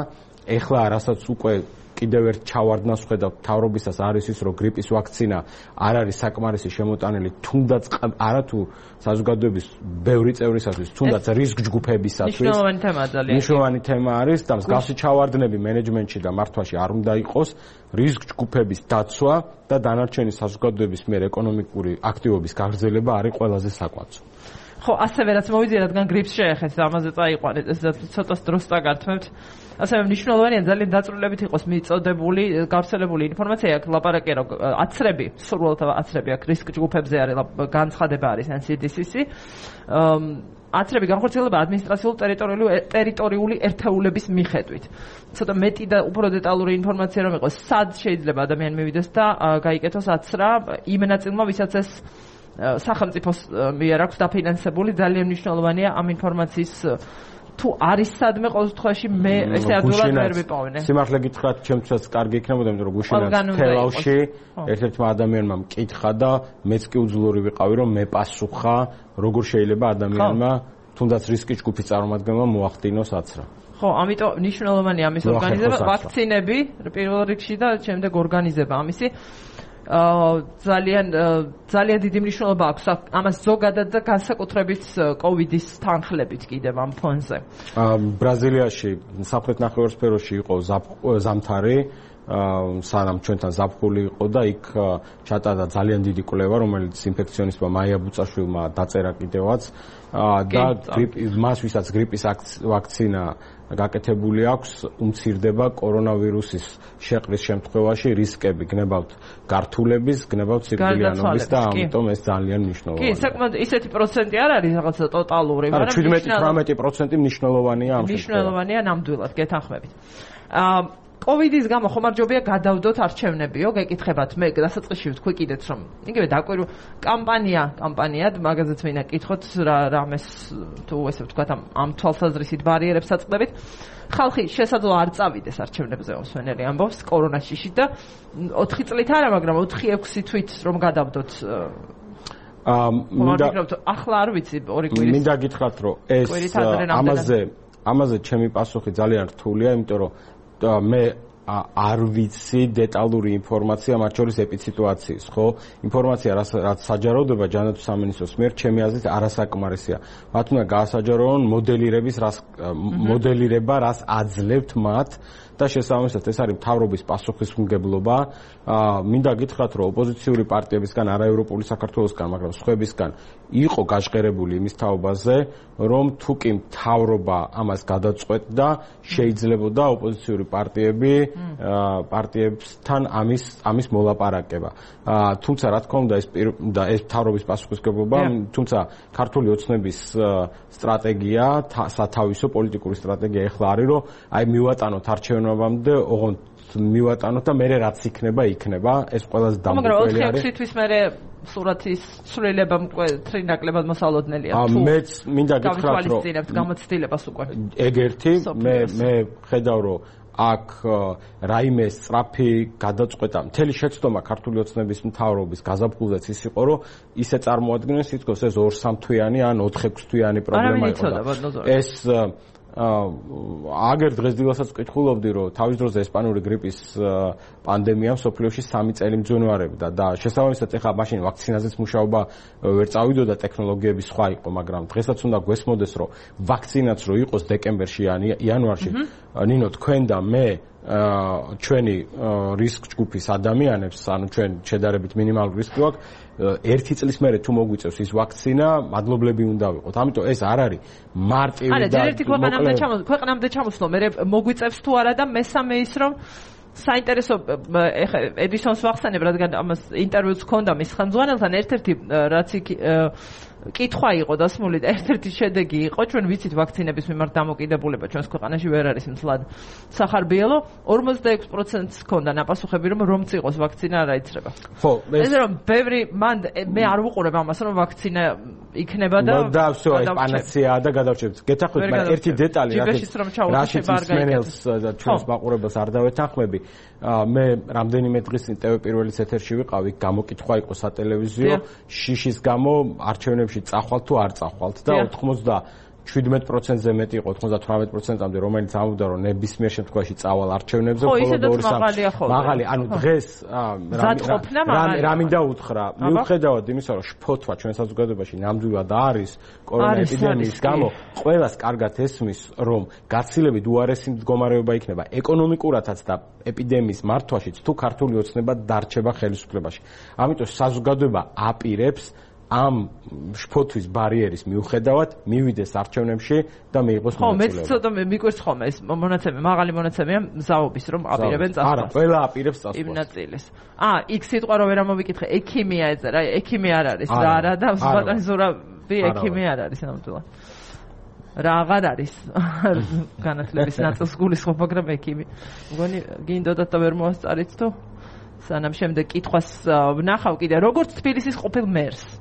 ეხლა რასაც უკვე კიდევ ერთ ჩავარდნას ხედავთ მთავრობისას არის ის, რომ გრიპის ვაქცინა არ არის საკმარისი შემოტანილი, თუნდაც არათუ საზოგადოების ბევრი წევრისათვის, თუნდაც რისკ ჯგუფებისათვის. მნიშვნელოვანი თემაა ძალიან. მნიშვნელოვანი თემა არის და მსგავსი ჩავარდნები მენეჯმენტში და მართვაში არ უნდა იყოს. რისკ ჯგუფების დაცვა და დანარჩენი საზოგადოების მიერ ეკონომიკური აქტივობის გაგრძელება არის ყველაზე საკვანძო. ხო, ასევე რაც მოვიძია, რადგან გრიპს შეეხეთ, ამაზე წაიყვანეთ, ეს ცოტა დროს დაგართმევთ. ასევე მნიშვნელოვანია ძალიან დაწვრილებით იყოს მიწოდებული, გავრცელებული ინფორმაცია, აქ ლაპარაკია, რომ აცრები, სურვილთა აცრები აქ რისკ ჯგუფებზე არის, განცხადება არის NCDC-ს. აცრები განხორციელება ადმინისტრაციულ-ტერიტორიული ერთეულების მიხედვით. ცოტა მეტი და უფრო დეტალური ინფორმაცია რომ იყოს, სად შეიძლება ადამიანი მივიდეს და გაიკეთოს აცრა იმ ნაწილმა, ვისაც ეს სახელმწიფოს მიერ აქვს დაფინანსებული, ძალიან მნიშვნელოვანია ამ ინფორმაციის თუ არის სადმე ყოველ შემთხვევაში მე ესე ადვილად ვერ ვიპოვნე. სიმართლე გითხრათ, ჩემთვისაც კარგი იქნებოდა, იმიტომ რომ გუშინაც თელავში ერთ-ერთმა ადამიანმა მკითხა და მეც კი უძლური ვიყავი, რომ მე პასუხა, როგორ შეიძლება ადამიანმა თუნდაც რისკის ჯგუფის წარმომადგენელმა მოახდინოს აცრა. ხო, ამიტომ მნიშვნელოვანია ამის ორგანიზება, ვაქცინები პირველ რიგში და შემდეგ ორგანიზება ამისი. ძალიან დიდი მნიშვნელობა აქვს ამას ზოგადად და განსაკუთრებით კოვიდის თანხლებით კიდევ ამ ფონზე. ბრაზილიაში სამხრეთ ნახევარსფეროში იყო ზამთარი, სანამ ჩვენთან ზაფხული იყო და იქ ჩატარდა ძალიან დიდი კვლევა, რომელიც ინფექციონისტმა მაია ბუწაშვილმა დაწერა კიდევაც და მას ვისაც გრიპის ვაქცინა გაკეთებული აქვს, უმცირდება კორონავირუსის შეყრის შემთხვევაში რისკები, გნებავთ გართულების, გნებავთ სიკვდილიანობის და ამიტომ ეს ძალიან მნიშვნელოვანია. კი, საკმაოდ ისეთი პროცენტი არ არის რაღაცა ტოტალური, მაგრამ 17-18% მნიშვნელოვანია ამ შემთხვევაში. მნიშვნელოვანია ნამდვილად, გეთანხმებით. კოვიდის გამო ხომარჯობია გადავდოთ არჩევნებიო, გეკითხებათ, მე დასაწყისში ვთქვი კიდეც რომ იგივე დაკვირვ კამპანიად, მაგაზეც მინდა კითხოთ რამეს თუ ესე ვთქვათ ამ თვალსაზრისით ბარიერებს აწყდებით. ხალხი შესაძლოა არ წავიდეს არჩევნებზე, მსვენელი ამბობს კორონას შიშით და 4 წლით არა, მაგრამ 4-6 თვით რომ გადავდოთ ახლა არ ვიცი 2 კვირის. მინდა გითხრათ, რომ ეს ამაზე ჩემი პასუხი ძალიან რთულია, იმიტომ რომ მე არ ვიცი დეტალური ინფორმაცია მათ შორის ეპიდსიტუაციის, ხო? ინფორმაცია რაც საჯაროდება ჯანმრთელობის სამინისტროს მიერ ჩემი აზრით არასაკმარისია. მათ უნდა გაასაჯაროონ მოდელირება, რას აძლევთ მათ და შესაბამისად ეს არის მთავრობის პასუხისმგებლობა. მინდა გითხრათ, რომ ოპოზიციური პარტიებისგან, არაევროპული საქართველოსგან, მაგრამ სხვებისგან იყო გაჟღერებული იმის თაობაზე, რომ თუ კი მთავრობა ამას გადაწყვეტდა, შეიძლებოდა ოპოზიციური პარტიები პარტიებთან ამის მოლაპარაკება. თუმცა რა თქმა უნდა ეს მთავრობის პასუხისმგებლობა, თუმცა ქართული ოცნების სტრატეგია, სათავისო პოლიტიკური სტრატეგია ეხლა არის, რომ აი მივატანოთ არჩევნებამდე, ოღონდ მივატანოთ და მერე რაც იქნება, ეს ყველაზე დამკვირვებელი არის. მაგრამ 4-6 თვის მერე სურათის ცვლილება მკვეთრი ნაკლებად მოსალოდნელია. მეც მინდა გითხრათ, რომ გამოცდილებას უკვე. ეგ ერთი, მე ხედავ, რომ აქ რაიმე სწრაფი გადაწყვეტა, მთელი შეცდომა ქართული ოცნების მთავრობის გაზაფხულზეც ის იყო, რომ ისე წარმოადგენს თითქოს ეს 2-3 თვიანი ან 4-6 თვიანი პრობლემა იყო. ეს აგერ დღესდღესაც ვკითხულობდი, რომ თავის დროზე ესპანური გრიპის პანდემია მსოფლიოში 3 წელი მძვინვარებდა და შესაბამისად ეხლა მაშინ ვაქცინაზეც მუშაობა ვერ წავიდოდა, ტექნოლოგიები სხვა იყო, მაგრამ დღესაც უნდა გვესმოდეს, რომ ვაქცინაც რო იყოს დეკემბერში ან იანვარში, ნინო თქვენ და მე ჩვენი რისკ ჯგუფის ადამიანებს, ანუ ჩვენ შედარებით მინიმალური რისკი გვაქვს, 1 წლის მერე თუ მოგვიწევს ის ვაქცინა, მადლობლები უნდა ვიყოთ. ამიტომ ეს არ არის მარტივი და ქვეყნამდე ჩამოსვლა, მე მოგვიწევს თუ არა და მესამე ის რომ საინტერესო ეხა ედისონს ვახსენებ, რადგან ამას ინტერვიუც ჰქონდა მის ხელმძღვანელთან, ერთ-ერთი რაც კითხვა იყო დასმული და ერთ-ერთი შედეგი იყო, ჩვენ ვიცით ვაქცინების მიმართ დამოკიდებულება ჩვენს ქვეყანაში ვერ არის მცლად სახარბიელო, 46%-ს ჰქონდა ნაპასუხები, რომ წიყოს ვაქცინა არ აიცრება. ხო, ეს რომ ბევრი მე არ ვუყურებ ამას, რომ ვაქცინა იქნება და всё, ეს პანაცეაა და გადავჭერთ. გეთახმებით, მაგრამ ერთი დეტალი, რაშიც მსმენელს და ჩვენს მაყურებელს არ დავეთანხმები. მე რამდენიმე დღის წინ TV პირველის ეთერში ვიყავი, გამოკითხვა იყო სატელევიზიო, შიშის გამო არჩევნებში წახვალთ თუ არ წახვალთ და 97%-ზე მეტი იყო, 98%-ამდე, რომელიც ამბობდა, რომ ნებისმიერ შემთხვევაში წავალ არჩევნებზე, მხოლოდ 2-3 მაღალი, ანუ დღეს რა მინდა უთხრა, მიუხედავად იმისა, რომ შფოთვა ჩვენ საზოგადოებაში ნამდვილად არის კორონა ეპიდემიის გამო, ყველას კარგად ესმის, რომ გაცილებით უარესი მდგომარეობა იქნება ეკონომიკურათაც და ეპიდემიის მართვაშიც, თუ ქართული ოცნება დარჩება ხელისუფლებაში. ამიტომ საზოგადოება აპირებს ამ შფოთვის ბარიერის მიუხედავად მივიდეს არჩევნებში და მიიღოს მონაწილეობა. ხო, მეც ცოტა მიკვირს ხოლმე ეს მონაცემი, მაღალი მონაცემია მზაობის, რომ აპირებენ წასვლას. არა, ყველა აპირებს წასვლას. იმ ნაწილს. იქ სიტყვა რო ვერ ამოვიკითხე, ექიმია ეწერა, ექიმი არ არის რა, არა და ბატონი ზურავი ექიმი არ არის ნამდვილად. რა აღარ არის განათლების ნაწილს გულისხმობ, მაგრამ ექიმი. მგონი გინდოდათ და ვერ მოასწარით თუ სანამ შემდეგ კითხვას ვნახავ კიდე, როგორც თბილისის ყოფილ მერს.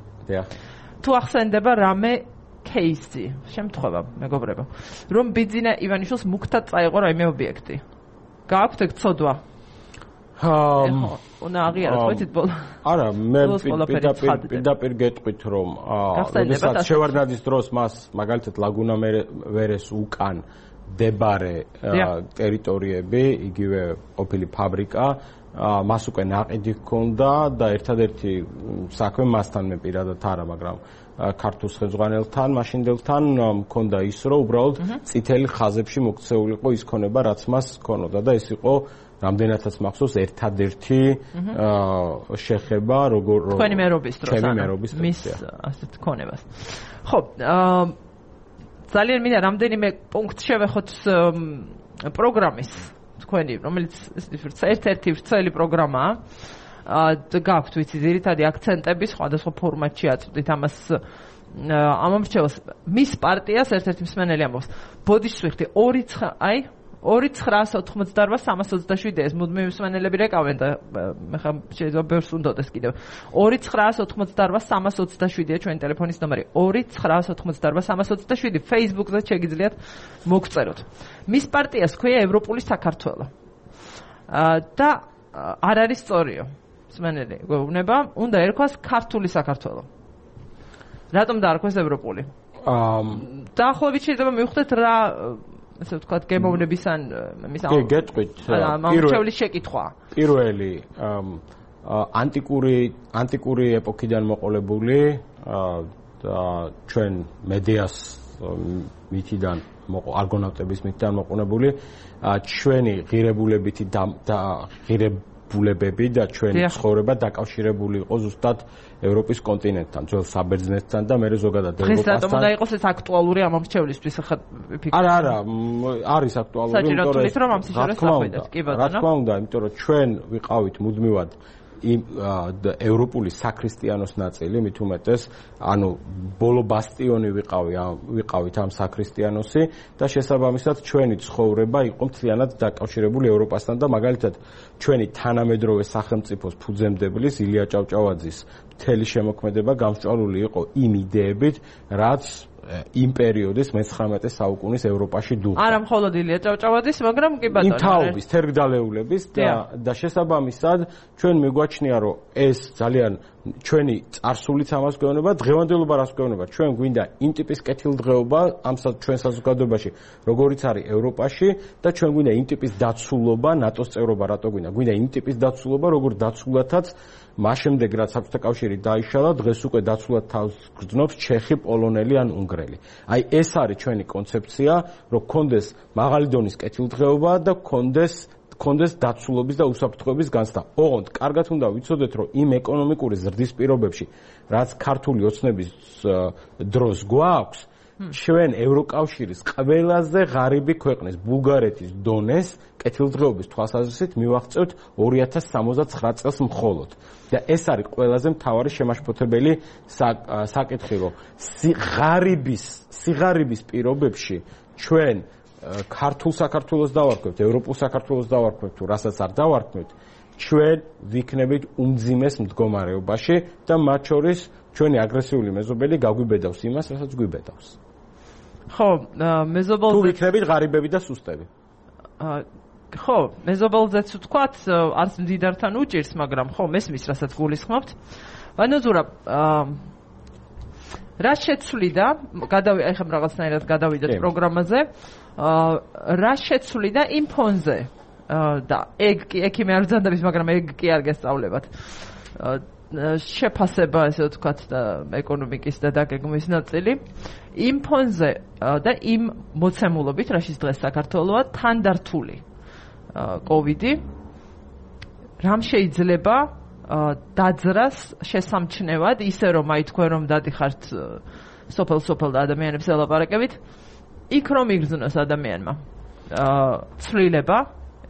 თუ ახსენდება რამე кейსი, შემთხვევა, მეგობრებო, რომ ბიძინა ივანიშვილს მუქთად წაიღო რაიმე ობიექტი. გააქვთ ეგ ცოდვა? უნდა აღიაროთ, ვიცით ბოლო. არა, მე პირდაპირ გეტყვით, რომ როდესაც შევარდნაძის დროს მას მაგალითად ლაგუნა ვერეს უკან დებარე ტერიტორიები, იგივე ყოფილი ფაბრიკა, მას უკვე ნაყიდი ჰქონდა და ერთადერთი საქმე მასთან მე პირადად არა, მაგრამ ქართულ ხელმძღვანელთან, მაშინდელთან მქონდა ის, რომ უბრალოდ წითელი ხაზებში მოქცეულიყო ის ქონება, რაც მას ჰქონოდა და ეს იყო რამდენადაც მახსოვს ერთადერთი შეხება თქვენი მერობის დროს, მის ასეთ ქონებას. ხო, ძალიან მინდა რამდენიმე პუნქტ შევეხოთ პროგრამის თქვენი, რომელიც ერთ-ერთი ვრცელი პროგრამაა. გაქვთ ვიცი ძირითადი აქცენტები სხვადასხვა ფორმატში აწვდით ამას ამომრჩევს მის პარტიას ერთ-ერთი მსმენელი ამბობს ბოდიშსვიხტი 2-988-327 ეს მუდმივი მსმენელები რეკავენ და მე ხა შეიძლება ბევრს უნდოდეს კიდევ 2-988-327-ია ჩვენი ტელეფონის ნომერი 2-988-327 Facebook-ზე შეგიძლიათ მოგწეროთ მის პარტიას ქვია ევროპული საქართველო და არ არის სწორიო მსმენელი გვეუბნება უნდა ერქვას ქართული საქართველო რატომ დაარქვეს ევროპული დაახლოებით შეიძლება მივხვდეთ რა ასე ვთქვათ გემოვნების ან მის გეტყვით ამორჩევლის შეკითხვა პირველი ანტიკური ეპოქიდან მოყოლებული და ჩვენ მედიას მითიდან არგონავტების მითიდან მოყოლებული ჩვენი ღირებულებითი და ბულებები და ჩვენი ცხოვრება დაკავშირებული იყო ზუსტად ევროპის კონტინენტთან, ძველ საბერძნეთთან და მე ზოგადად ევროპასთან. დღეს რატომ უნდა იყოს ეს აქტუალური ამ მომრჩევლისთვის ხა ფიქრობ? არა, არის აქტუალური, იმიტომ რომ ამ სიჟეტს დახვედეთ. კი ბატონო. რა თქმა უნდა, იმიტომ რომ ჩვენ ვიყავით მუდმივად იმ ევროპული საქრისტიანოს ნაწილი, მით უმეტეს, ანუ ბოლო ბასტიონი ვიყავით ამ საქრისტიანოსი და შესაბამისად ჩვენი ცხოვრება იყო მთლიანად დაკავშირებული ევროპასთან და მაგალითად ჩვენი თანამედროვე სახელმწიფოს ფუძემდებლის ილია ჭავჭავაძის მთელი შემოქმედება გამსჭვალული იყო იმ იდეებით, რაც იმ პერიოდის მე-19 საუკუნის ევროპაში დუღდა. არა მხოლოდ ილია ჭავჭავაძის, მაგრამ კი ბატონო. იმ თაობის თერგდალეულების და შესაბამისად ჩვენ მიგვაჩნია, რომ ეს ძალიან ჩვენი წარსულიც ამას გვეუბნება, დღევანდელობა რას გვეუბნება. ჩვენ გვინდა იმ ტიპის კეთილდღეობა ამ ჩვენ საზოგადოებაში, როგორიც არის ევროპაში და ჩვენ გვინდა იმ ტიპის დაცულობა, ნატოს წევრობა რატო გვინდა? გვინდა იმ ტიპის დაცულობა, როგორ დაცულათაც მას შემდეგ რაც საბჭოთა კავშირი დაიშალა, დღეს უკვე დაცულად თავს გრძნობს ჩეხი, პოლონელი ან უნგრელი. აი ეს არის ჩვენი კონცეფცია, რომ კონდეს მაღალი დონის კეთილდღეობა და კონდეს დაცულობის და უსაფრთხოების განცდა. ოღონდ კარგად უნდა ვიცოდეთ, რომ იმ ეკონომიკური ზრდის პირობებში, რაც ქართული ოცნების დროს გვაქვს, ჩვენ ევროკავშირის ყველაზე ღარიბი ქვეყნის ბულგარეთის დონეს კეთილდღეობის თვალსაზრისით მივაღწევთ 2069 წელს მხოლოდ. და ეს არის ყველაზე მთავარი შემაშფოთებელი საკითხი, რომ სიღარიბის პირობებში ჩვენ ქართულ საქართველოს დავარქვევთ, ევროპულ საქართველოს დავარქვევთ, თუ რასაც არ დავარქვევთ, ჩვენ ვიქნებით უმძიმეს მდგომარეობაში და მათ შორის ჩვენი აგრესიული მეზობელი გაგვიბედავს იმას, რასაც გვიბედავს. ხო, მეზობელზე თუ ვიქნებით ღარიბები და სუსტები. ხო, მეზობელზეც ვთქვათ, არც მდიდართან უჭირს, მაგრამ ხო, მესმის, რასაც გულისხმობთ. ვანოზურა, რა შეცვლიდა, ეხლა რაღაცნაირად გადავიდეთ პროგრამაზე, რა შეცვლიდა იმ ფონზე და ეგ მე არ ვძანდების, მაგრამ ეგ კი არ გესწავლებათ. შეფასება, ესე ვთქვათ, ეკონომიკის და დაგეგმვის ნაწილი იმ ფონზე და იმ მოცემულობით, რაშიც დღეს საქართველოა თანდართული კოვიდი, რამ შეიძლება დაძრას შესამჩნევად, ისე რომ აი თქვენ რომ დადიხართ სოფელ და ადამიანებს ელაპარაკებით, იქ რომ იგრძნოს ადამიანმა ცვლილება,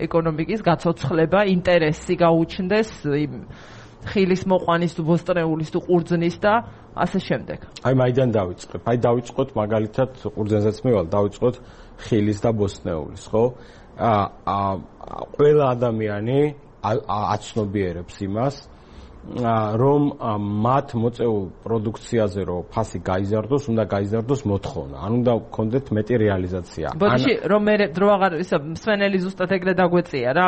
ეკონომიკის გაცოცხლება, ინტერესი გაუჩნდეს იმ ხილის მოყვანის თუ ბოსტრეულის თუ ყურძნის და ასე შემდეგ. აი მაიდან დავიწყებ. აი დავიწყოთ მაგალითად ყურძნზეც მივალ, დავიწყოთ ხილის და ბოსტრეულის, ხო? ყველა ადამიანი აცნობიერებს იმას, რომ მათ მოწეულ პროდუქციაზე რომ ფასი გაიზარდოს, უნდა გაიზარდოს მოთხოვნა. ან უნდა გქონდეთ მეტი რეალიზაცია. ბოდიში რომ მე დრო აღარ ისა მსვენელი ზუსტად ეგრე დაგვეწია რა,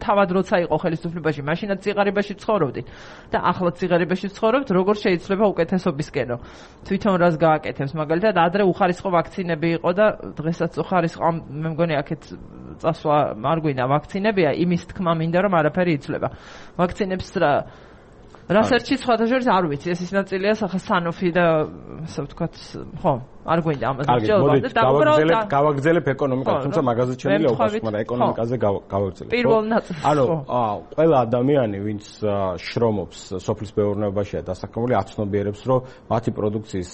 თავად როცა იყო ხელისუფლებაში, მაშინაც ციღარიბაში ცხოვრობდი და ახლა ციღარიბაში ცხოვრობთ, როგორ შეიძლება უკეთესობისკენო. თვითონ რას გააკეთებს, მაგალითად, ადრე უხარისხო ვაქცინები იყო და დღესაც უხარისხო, მე მგონი აქეთ წასვლა არ გვინდა ვაქცინებია, იმის თქმა მინდა რომ არაფერი იცვლება. ვაქცინებს რასერჩი სხვადასხვა არ ვიცი, ეს ის ნაწილია სახა სანოფი და ასე ვთქვათ, ხო, არ გვინდა ამაზე ჯელობა და გავაგრძელებ ეკონომიკას, თუმცა მაგაზეც შემიძლია უყუროთ, მაგრამ ეკონომიკაზე გავაგრძელებ. პირველ ნაწილს. ანუ ყველა ადამიანი, ვინც შრომობს სოფლის მეურნეობაშია დასაქმებული, აცნობიერებს, რომ მათი პროდუქციის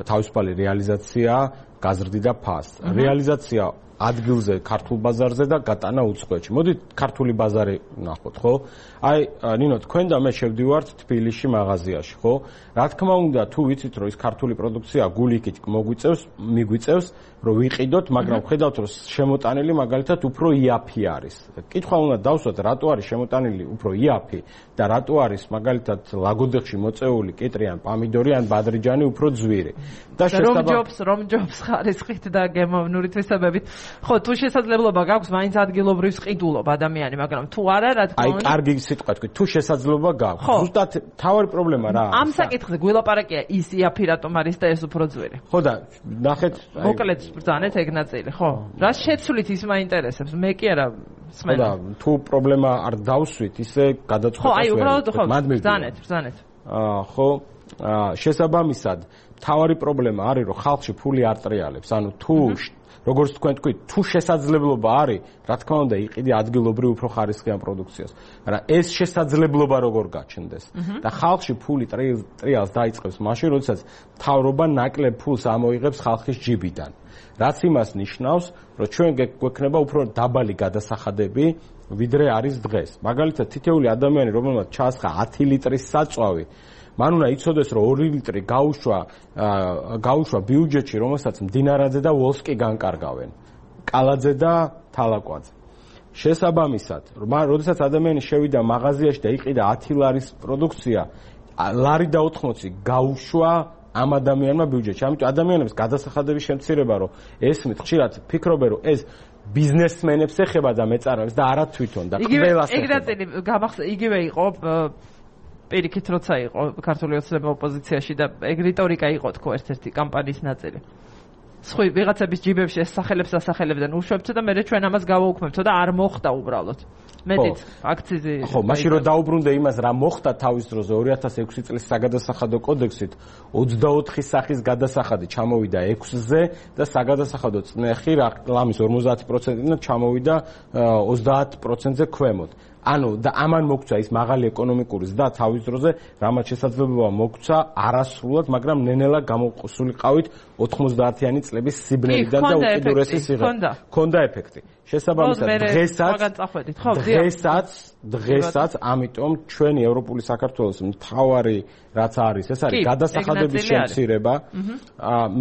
თავისუფალი რეალიზაცია გაზრდიდა ფასს. რეალიზაცია ადგილზე, ქართულ ბაზარზე და გატანა უცხოეთში. მოდით ქართული ბაზარი ვნახოთ, ხო? აი, ნინო, თქვენ და მე შევდივართ თბილისში მაღაზიაში, ხო? რა თქმა უნდა, თუ ვიცით, რომ ის ქართული პროდუქცია გულიქით მიგვიწევს, რომ ვიყიდოთ, მაგრამ ხედავთ, რომ შემოტანილი მაგალითად უფრო იაფი არის. კითხვა უნდა დავსვათ, რატო არის შემოტანილი უფრო იაფი და რატო არის მაგალითად ლაგოდეხში მოწეული კიტრი ან პამიდორი ან ბადრიჯანი უფრო ძვირი. და რომ ჯობს ხარისხით და გემოვნური თვისებებით. ხო, თუ შესაძლებლობა გაქვს, მაინც ადგილობრივს ყიდულობ ადამიანი, მაგრამ თუ არა, რა თქმა უნდა. აი, კარგი სიტყვა თქვი, თუ შესაძლებლობა გაქვს. ზუსტად თავი პრობლემა რა. ამ საკითხზე გველაპარაკია ის იაფი რატომ არის და ეს უფრო ძვირი. ხო და ნახეთ, მოკლედ ბრძანეთ ეგ ნაწილი, ხო? რა შეცვლით ის მაინტერესებს, მე კი არა სმენ. ხო და თუ პრობლემა არ დავსვით, ისე გადაწყვეტას ვერ. ხო, აი, უბრალოდ ხო, ბრძანეთ. ხო, შესაბამისად, თავი პრობლემა არის, რომ ხალხში ფული არ ტრიალებს. ანუ თუ როგორც თქვენ თქვით, თუ შესაძლებლობა არის, რა თქმა უნდა, იყიდი ადგილობრივ უფრო ხარისხიან პროდუქციას. მაგრამ ეს შესაძლებლობა როგორ გაჩნდეს? და ხალხში ფული ტრიალს დაიწყებს მაშინ, როდესაც მთავრობა ნაკლებ ფულს ამოიღებს ხალხის ჯიბიდან. რაც იმას ნიშნავს, რომ ჩვენ გვექნება უფრო დაბალი გადასახადები, ვიდრე არის დღეს. მაგალითად, თითოეული ადამიანი, რომელმაც ჩაასხა 10 ლიტრის საწვავი, მან უნდა იცოდეს, რომ 2 ლიტრი გაუშვა ბიუჯეტში, რომელსაც მდინარაძე და ვოლსკი განკარგავენ. კალაძე და თალაკვაძე. შესაბამისად, როდესაც ადამიანი შევიდა მაღაზიაში და იყიდა 10 ლარის პროდუქცია, ლარი და 80 გაუშვა ამ ადამიანმა ბიუჯეტში. ამიტომ ადამიანებს გადასახადების შემცირება, რომ ესმით, ხშირად ფიქრობენ, რომ ეს ბიზნესმენებს ეხება და მეწარმეებს და არა თვითონ და ყველას ეხება. იგივე იყო პირიქით, როცა იყო ქართული ოცნება ოპოზიციაში და ეგ რიტორიკა იყო თქო ერთ-ერთი კამპანიის ნაწილი. სხვი ვიღაცების ჯიბებში ეს სახელებს ასახელებდნენ უშვებთ და მე ჩვენ ამას გავაუქმებთ და არ მოხდა უბრალოდ. მეტიც აქციზი. ხო, მაშინ რომ დაუბრუნდე იმას, რა მოხდა თავის დროზე 2006 წლის საგადასახადო კოდექსით 24 სახის გადასახადი ჩამოვიდა 6-ზე და საგადასახადო წნეხი ლამის 50%-იდან ჩამოვიდა 30%-ზე ქვემოთ. ანუ და ამან მოგცა ის მაღალი ეკონომიკური ზრდა თავის დროზე, რამაც შესაძლებლობა მოგცა არასრულად, მაგრამ ნენელა გამოსულიყავით 90-იანი წლების სიბნელიდან და უკიდურესი სიღრმე. ქონდა ეფექტი. შესაბამისად, დღესაც, ამიტომ ჩვენი ევროპული საქართველოს მთავარი რაც არის, ეს არის გადასახადების შემცირება.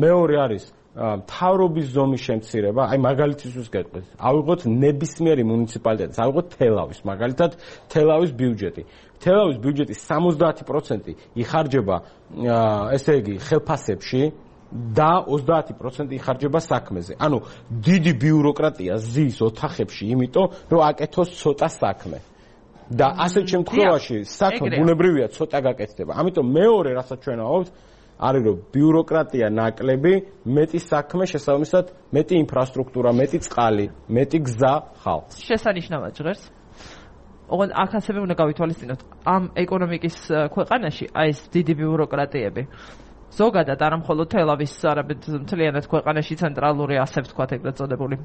მეორე არის მთავრობის ზომის შემცირება, აი მაგალითისთვის გეტყვით. ავიღოთ ნებისმიერი მუნიციპალიტეტი, ავიღოთ თელავის, მაგალითად თელავის ბიუჯეტი. თელავის ბიუჯეტის 70% იხარჯება, ესე იგი, ხელფასებში და 30% იხარჯება საქმეზე. ანუ დიდი ბიუროკრატია ზის ოთახებში, იმიტომ რომ აკეთოს ცოტა საქმე. და ასეთ შემთხვევაში საქმე ბუნებრივია ცოტა გაკეთდება. ამიტომ მეორე რასაც ჩვენ ავავთ არის რომ ბიუროკრატია ნაკლები, მეტი საქმე, შესაბამისად, მეტი ინფრასტრუქტურა, მეტი წყალი, მეტი გზა ხალხს. შესანიშნავად ჟღერს. ოღონდ აქ ასევე უნდა გავითვალისწინოთ, ამ ეკონომიკის ქვეყანაში აი ეს დიდი ბიუროკრატიები ზოგადად არა მხოლოდ თელავის, არამედ მთლიანად ქვეყანაში ცენტრალური ასე ვთქვათ, ეგრეთ წოდებული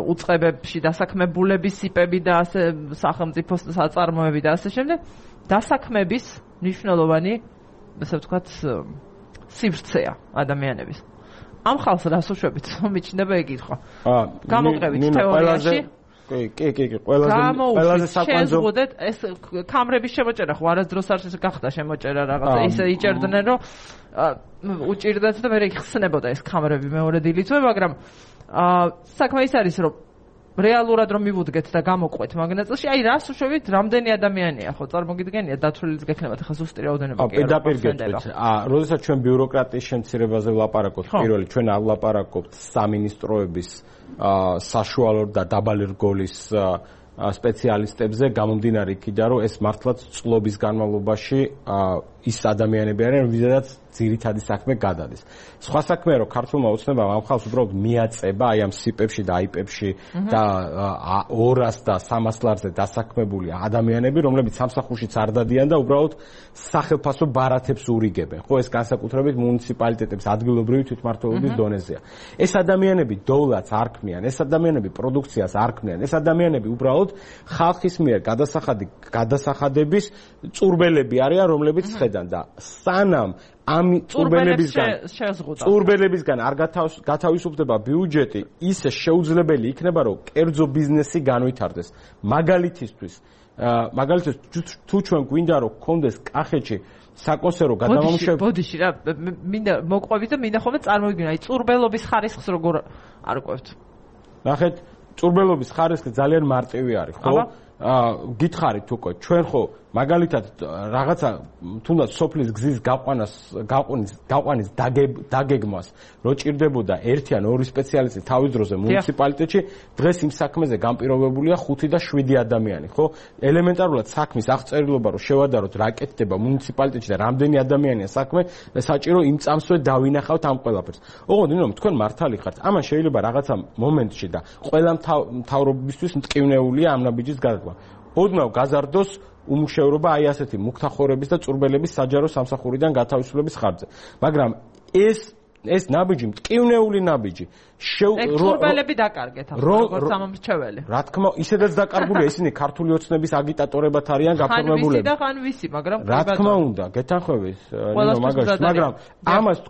უწყებებში დასაქმებულების სიპები და ასე სახელმწიფო საწარმოები და ასე შემდეგ, დასაქმების მნიშვნელოვანი ასე ვთქვათ, სივრცეა ადამიანების. ამ ხალხს რას უშვებით, მიჩნდება ეკითხვა. გამოყევით თეორიაში. კი, ყველაზე საკვანძო. შეზღუდეთ ეს კამრების შემოჭერა, ხო არასდროს არ გახდა შემოჭერა რაღაცა, ისე იჭერდნენ, რომ უჭირდათ და მე იხსნებოდა ეს კამრები მეორე დილითვე, მაგრამ საქმე ის არის, რომ რეალურად რომ მივუდგეთ და გამოყვეთ მაგნაწილში, აი რას უშვებით, რამდენი ადამიანია, ხო, წარმოგიდგენია, დათვლილიც გექნებათ, ახლა ზუსტი რაოდენობა კი არა. პირდაპირ გეტყვით. როდესაც ჩვენ ბიუროკრატიის შემცირებაზე ვლაპარაკობთ, პირველი ჩვენ ავლაპარაკობთ სამინისტროების საშუალო და დაბალი რგოლის სპეციალისტებზე, გამომდინარე იქიდან, რომ ეს მართლაც წლების განმავლობაში ის ადამიანები არიან, ვიზედაც ძირითადი საქმე გადადის. სხვა საქმეა, რომ ქართულმა ოცნებამ ამ ხალხს უბრალოდ მიაწება აი ამ სიპებში და აიპებში და 200 და 300 ლარზე დასაქმებული ადამიანები, რომლებიც სამსახურშიც არ დადიან და უბრალოდ სახელფასო ბარათებს ურიგებენ. ხო, ეს განსაკუთრებით მუნიციპალიტეტებს ადგილობრივი თვითმმართველობის დონეზეა. ეს ადამიანები დოვლათს არ ქმნიან, ეს ადამიანები პროდუქციას არ ქმნიან, ეს ადამიანები უბრალოდ ხალხის მიერ გადასახადების წურბელები არიან, რომლებიც ხედან და სანამ ამ წურბელებისგან არ გათავისუფლდება ბიუჯეტი, ისე შეუძლებელი იქნება, რომ კერძო ბიზნესი განვითარდეს. მაგალითისთვის თუ ჩვენ გვინდა რომ გქონდეს კახეთში საკონსერვო გადამამუშავებელი. ბოდიში რა, მინდა მოყვებით და მინდა ხოლმე წარმოვიდგინო, აი წურბელობის ხარისხს როგორ არ ყვევთ. ნახეთ, წურბელობის ხარისხი ძალიან მარტივი არის, ხო? გითხარით უკვე, ჩვენ ხო მაგალითად რაღაცა თუნდაც სოფლის გზის გაყვანის დაგეგმვას რო ჭირდებოდა 1 ან 2 სპეციალისტი თავის დროზე მუნიციპალიტეტში, დღეს იმ საქმეზე განპირობებულია 5 და 7 ადამიანი, ხო? ელემენტარულად საქმის აღწერილობა რო შევადაროთ რა კეთდება მუნიციპალიტეტში და რამდენი ადამიანია საქმე, საჭირო იმ წამსვე დავინახავთ ამ ყველაფერს. ოღონდ ნინო, თქვენ მართალი ხართ. ამან შეიძლება რაღაცა მომენტში და ყველა მთავრობისთვის მტკივნეულია ამ ნაბიჯის გადადგმა. ოდნავ გაზარდოს უმუშევრობა აი ასეთი მუქთახორების და წურბელების საჯარო სამსახურიდან გათავისუფლების ხარჯზე. მაგრამ ეს ეს ნაბიჯი მტკივნეული ნაბიჯი. რობელები დაკარგეთ ახლა როგორც სამომრჩეველი. რა თქმა უნდა, ისედაც დაკარგულია ისინი ქართული ოცნების აგიტატორებად არიან გაფორმებულები. ხან ვისი, მაგრამ რა თქმა უნდა, გეთანხმების, მაგრამ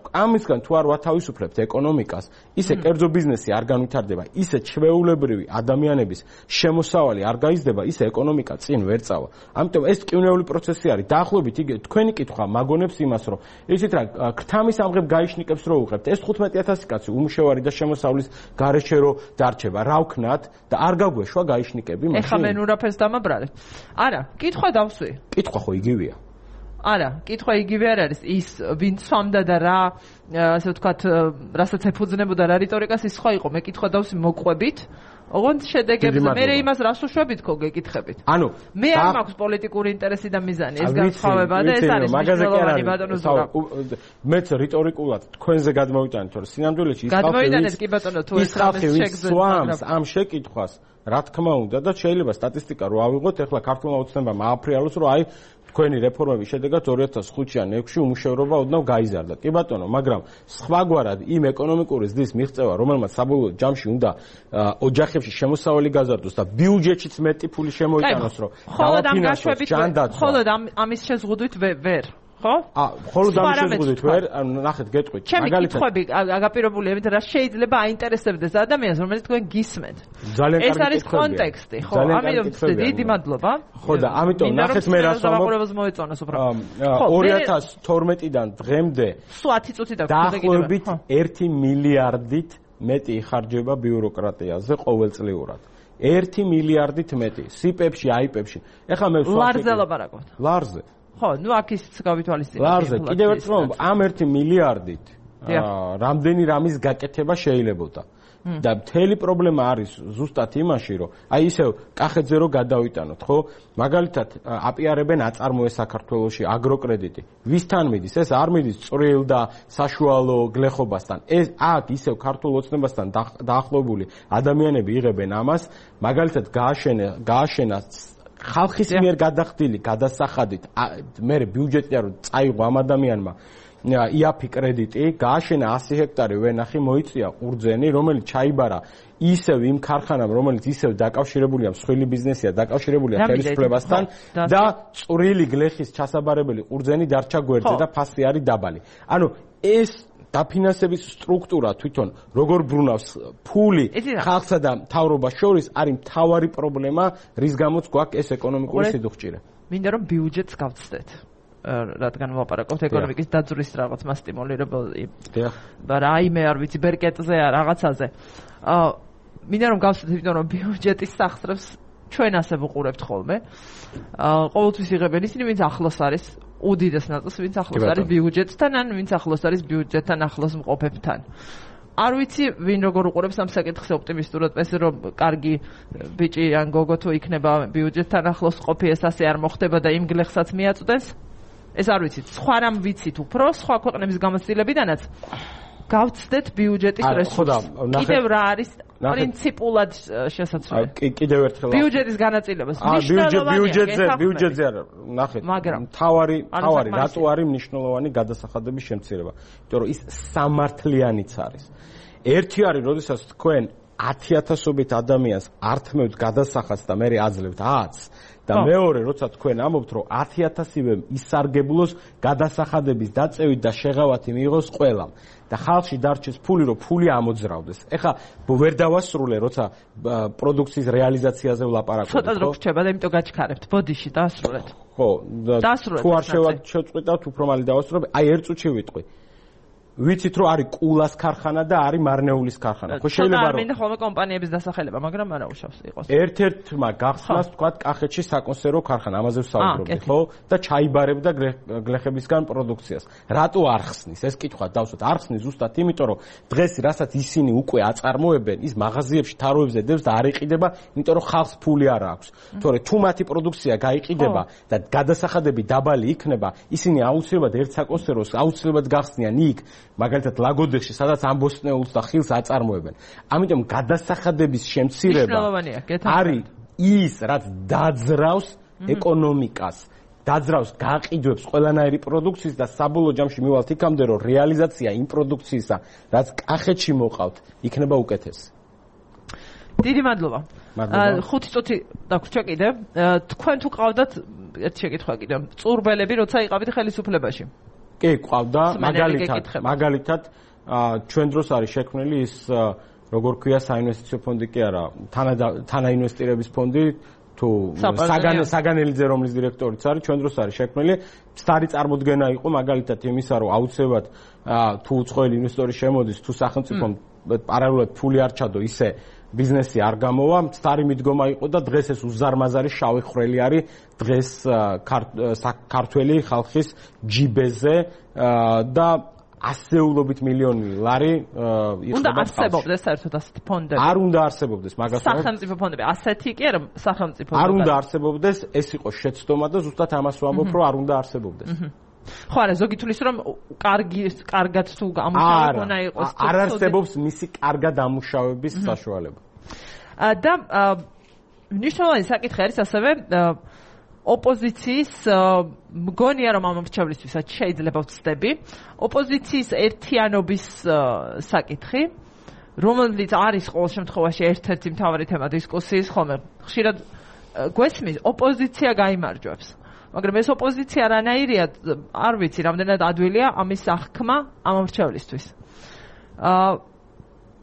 ამისგან თუ არ ვათავისუფლებთ ეკონომიკას, ისე კერძო ბიზნესი არ განვითარდება, ისე ჩვეულებრივი ადამიანების შემოსავალი არ გაიზრდება, ისე ეკონომიკა წინ ვერ წავა. ამიტომ ეს ტკივნეული პროცესი არის. დაახლოებით თქვენი კითხვა მაგონებს იმას, რომ იცით რა, ქრთამის ამღებ გაიშნიკებს რო უღებთ. ეს 15000 კაცი უმუშევარი და შემოსავლის გარეშე რო დარჩება, რა ვქნათ და არ გაგვეშვა გაიშნიკები მაშინ. ეხლა მე ნურაფერს დამაბრალებ. არა, კითხვა დავსვი. კითხვა ხო იგივეა. არა, კითხვა იგივე არ არის. ის ვინ სვამდა და რა, ასე ვთქვათ, რასაც ეფუძნებოდა რა რიტორიკას ის სხვა იყო. მე კითხვა დავსვი მოყვებით. ოღონდ შედეგებზე მე იმას რას უშვებით ხო გეკითხებით. ანუ მე არ მაქვს პოლიტიკური ინტერესი და მიზანი, ეს განსხვავება და ეს არის მნიშვნელოვანი ბატონო ზურა. მეც რიტორიკულად თქვენზე გადმოვიტანეთ, რომ სინამდვილეში ის გადმოვიტანეთ კი ბატონო, თუ ეს შეგძვამს ამ შეკითხვას, რა თქმა უნდა და შეიძლება სტატისტიკა რო ავიღოთ, ეხლა ქართულმა ოცნებამ ააფრიალოს, რომ აი თქვენი რეფორმების შედეგად 2005-ან 6-ში უმუშევრობა ოდნავ გაიზარდა. კი ბატონო, მაგრამ სხვაგვარად იმ ეკონომიკური ზრდის მიღწევა, რომელმაც საბოლოო ჯამში უნდა ოჯახებში შემოსავალი გაზარდოს და ბიუჯეტშიც მეტი ფული შემოიტანოს, რომ დავაფინანსოს ჯანდაცვა. ხოლო ამის შეზღუდვით ვერ ხო? ხოლო ამის შეზღუდვით ვერ, ნახეთ, გეტყვით. მაგალითად, კითხვები აგაპირებულია, იმიტომ რა შეიძლება აინტერესებდეს ადამიანს, რომელიც თქვენ გისმენთ. ძალიან კარგი კითხვებია. ეს არის კონტექსტი, ხო? ამიტომ დიდი მადლობა. ხო და ამიტომ ნახეთ მე რას ვამბობ. ზოგადად მოეწონოს უბრალოდ. 2012-დან დღემდე სულ 10 წუთი და დაახლოებით 1 მილიარდით მეტი იხარჯება ბიუროკრატიაზე ყოველწლიურად. 1 მილიარდით მეტი. სიპებში, აიპებში. ეხლა მე ლარზე ლაპარაკობთ. ლარზე. ხო, ნუ აქ ის გავითვალისწინეთ. ლარზე, კიდევ ერთხელ ვამბობ, ამ 1 მილიარდით რამდენი რამის გაკეთება შეიძლებოდა. და მთელი პრობლემა არის ზუსტად იმაში, რომ აი ისევ კახეთზე რო გადავიტანოთ, ხო? მაგალითად, აპიარებენ აწარმოეს საქართველოში აგროკრედიტი. ვისთან მიდის? ეს არ მიდის წვრილ და საშუალო გლეხობასთან. ეს აქ ისევ ქართულ ოცნებასთან დაახლოებული ადამიანები იღებენ ამას, მაგალითად გააშენა ხალხის მიერ გადახდილი გადასახადით მე ბიუჯეტი არ წაიღო ამ ადამიანმა იაფი კრედიტი გააშენა 100 ჰექტარი ვენახი მოიწია ყურძენი რომელიც ჩაიბარა ისევ იმ ქარხანამ რომელიც ისევ დაკავშირებულია მსხვილი ბიზნესია დაკავშირებულია ხელისუფლებასთან და წვრილი გლეხის ჩასაბარებელი ყურძენი დარჩა გვერდზე და ფასი არის დაბალი ანუ ეს დაფინანსების სტრუქტურა თვითონ როგორ ბრუნავს ფული ხალხსა და მთავრობას შორის არის მთავარი პრობლემა რის გამოც გვაქვს ეს ეკონომიკური სიდუხჭირე მინდა რომ ბიუჯეტს გავცდეთ რადგან ვაპარაკობთ ეკონომიკის დაძვრის რაღაც მასტიმულირებელი და რაიმე არ ვიცი ბერკეტზე რაღაცაზე მინდა რომ გავცდეთ იმიტომ რომ ბიუჯეტის სახსრებს ჩვენ ასე ვუყურებთ ხოლმე ყოველთვის იღებენ ისინი ვინც ახლოს არის უდიდეს ნაწილს ვინც ახლოს არის ბიუჯეტთან ან ვინც ახლოს არის ბიუჯეტთან ახლოს მყოფებთან არ ვიცი ვინ როგორ უყურებს ამ საკითხს ოპტიმისტურად ეს რომ კარგი ბიჭი ან გოგო თუ იქნება ბიუჯეტთან ახლოს ყოფი ეს ასე არ მოხდება და იმ გლეხსაც მიაწვდენს ეს არ ვიცით სხვა რამ ვიცით უფრო სხვა ქვეყნების გამოცდილებიდანაც გავცდეთ ბიუჯეტის რესურსს კიდევ რა არის პრინციპულად შესაძლებელი კიდევ ერთხელ ბიუჯეტის განაწილებას ბიუჯეტზე არა ნახეთ მთავარი რატო არის მნიშვნელოვანი გადასახადების შემცირება იმიტომ რომ ის სამართლიანიც არის ერთი არის როდესაც თქვენ 10000-ობით ადამიანს ართმევთ გადასახადს და მე აძლევთ 10 და მეორე როცა თქვენ ამბობთ რომ 10000-ივე ისარგებლოს გადასახადების დაწევით და შეღავათი მიიღოს ყველამ და ხალხში დარჩეს ფული რომ ფული ამოძრავდეს. ეხლა ვერ დავასრულე როცა პროდუქციის რეალიზაციაზე ვლაპარაკობ. ცოტა დრო გრჩება და იმიტომ გაჩქარებთ. ბოდიში დაასრულეთ. ხო, თუ არ შევწყვიტავთ უფრო მალე დავასრულებ. აი ერთ წუთში ვიტყვი. ვიცით რომ არის კულას ქარხანა და არის მარნეულის ქარხანა. ხო შეიძლება რომ მინდა ხოლმე კომპანიების დასახელება, მაგრამ არა უშავს იყოს. ერთ-ერთმა გახსნას თქვა კახეთში საკონსერვო ქარხანა, ამაზე ვსაუბრობდი, ხო? და ჩაიბარებდა გლეხებისგან პროდუქციას. რატო არ ხსნის? ეს კითხვა დავსვათ. არ ხსნის ზუსტად იმიტომ რომ დღეს რასაც ისინი უკვე აწარმოებენ, ის მაღაზიებში თაროებზე დევს და არ იყიდება, იმიტომ რომ ხალხს ფული არ აქვს. თორე თუ მათი პროდუქცია გაიყიდება და გადასახადები დაბალი იქნება, ისინი აუცილებლად ერთ საკონსერვოს აუცილებლად გახსნიან იქ მაგალითად ლაგოდეხში სადაც ამბოსტნეულს და ხილს აწარმოებენ. ამიტომ გადასახადების შემცირება არის ის, რაც დაძრავს ეკონომიკას. დაძრავს, გააყიდვებს ყველანაირი პროდუქციის და საბოლოო ჯამში მივალთ იქამდე, რომ რეალიზაცია იმ პროდუქციისა, რაც კახეთში მოყავთ, იქნება უკეთესი. დიდი მადლობა. 5 წუთი დაგვრჩა კიდე. თქვენ თუ ყავდათ ერთი შეკითხვა კიდე. წურბელები როცა იყავით ხელისუფლებაში? კი, ყავდა, მაგალითად ჩვენ დროს არის შექმნილი ის როგორ ქვია საინვესტიციო ფონდი კი არა, თანაინვესტირების ფონდი თუ საგანელიძე რომლის დირექტორიც არის, ჩვენ დროს არის შექმნილი. სტარი წარმოდგენა იყო მაგალითად იმისა, რომ აუცილებლად თუ უცხოელი ინვესტორი შემოდის, თუ სახელმწიფომ პარალელურად ფული არ ჩადო, ისე ბიზნესი არ გამოვა, სტარი მიდგომა იყო და დღეს ეს უზარმაზარი შავი ხვრელი არის დღეს ქართველი ხალხის ჯიბეზე და ასეულობით მილიონი ლარი იყო. უნდა არსებობდეს საერთოდ ასეთი ფონდები? არ უნდა არსებობდეს, მაგას სახელმწიფო ფონდები, ასეთი კი არა სახელმწიფო. არ უნდა არსებობდეს, ეს იყო შეცდომა და ზუსტად ამას ვამბობ, რომ არ უნდა არსებობდეს. ხო, არა, ზოგი თulis რომ კარგად თუ გამუშავებონა იყოს. არ არსებობს მისი კარგად ამუშავების საშუალება. და მნიშვნელოვანი საკითხი არის ასევე ოპოზიციის მგონია რომ ამ მრჩევლისთვისაც შეიძლება ვცდები ოპოზიციის ერთიანობის საკითხი, რომელიც არის ყოველ შემთხვევაში ერთ-ერთი მთავარი თემა დისკუსიის, ხოლმე ხშირად გვესმის ოპოზიცია გაიმარჯვებს. მაგრამ ეს ოპოზიცია რანაირია, არ ვიცი, რამდენად ადვილია ამის აღქმა ამ მრჩევლისთვის.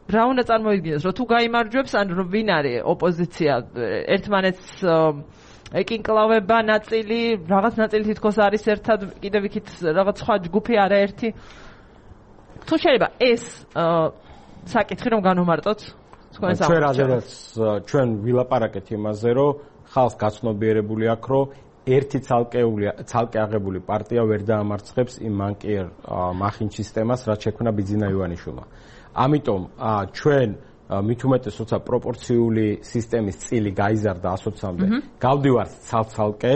რა უნდა წარმოიდგინოს, რომ თუ გაიმარჯვებს, ან რომ ვინ არის ოპოზიცია, ერთმანეთს ეკინკლავება ნაწილი, რაღაც ნაწილი თითქოს არის ერთად, კიდევ იქით რაღაც სხვა ჯგუფი არაერთი. თუ შეიძლება ეს საკითხი რომ განვმარტოთ, ჩვენ რადგანაც ჩვენ ვილაპარაკეთ იმაზე, რომ ხალხს გაცნობიერებული აქვს, რომ ერთი ცალკე აღებული პარტია ვერ დაამარცხებს იმ მანკიერ მახინ სისტემას, რაც შექმნა ბიძინა ივანიშვილმა. ამიტომ ჩვენ მით უმეტეს როცა პროპორციული სისტემის წილი გაიზარდა 120-მდე, გავდივართ ცალ-ცალკე,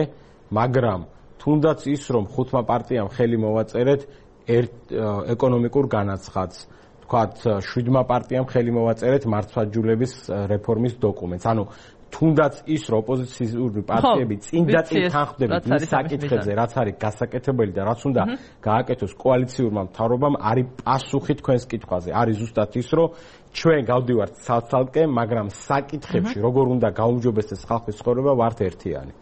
მაგრამ თუნდაც ის რომ 5 პარტიამ ხელი მოვაწერეთ ეკონომიკურ განაცხადს, თქვათ 7 პარტიამ ხელი მოვაწერეთ მართლმსაჯულების რეფორმის დოკუმენტს. ანუ თუნდაც ის რომ ოპოზიციური პარტიები წინ და წინ თანხმდებით მის საკითხებზე, რაც არის გასაკეთებელი და რაც უნდა გააკეთოს კოალიციურმა მთავრობამ, არის პასუხი თქვენს კითხვაზე. არის ზუსტად ის, რომ ჩვენ გავდივართ ცალ-ცალკე, მაგრამ საკითხებში როგორ უნდა გაუმჯობესდეს ხალხის ცხოვრება, ვართ ერთიანი.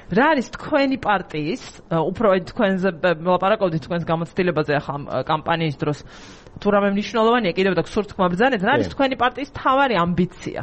რა არის თქვენი პარტიის, უფრო თქვენზე ვლაპარაკობდით თქვენს გამოცდილებაზე ახლა კამპანიის დროს, თუ რამე მნიშვნელოვანია კიდევ და გსურთ თქმა ბრძანეთ, რა არის თქვენი პარტიის მთავარი ამბიცია?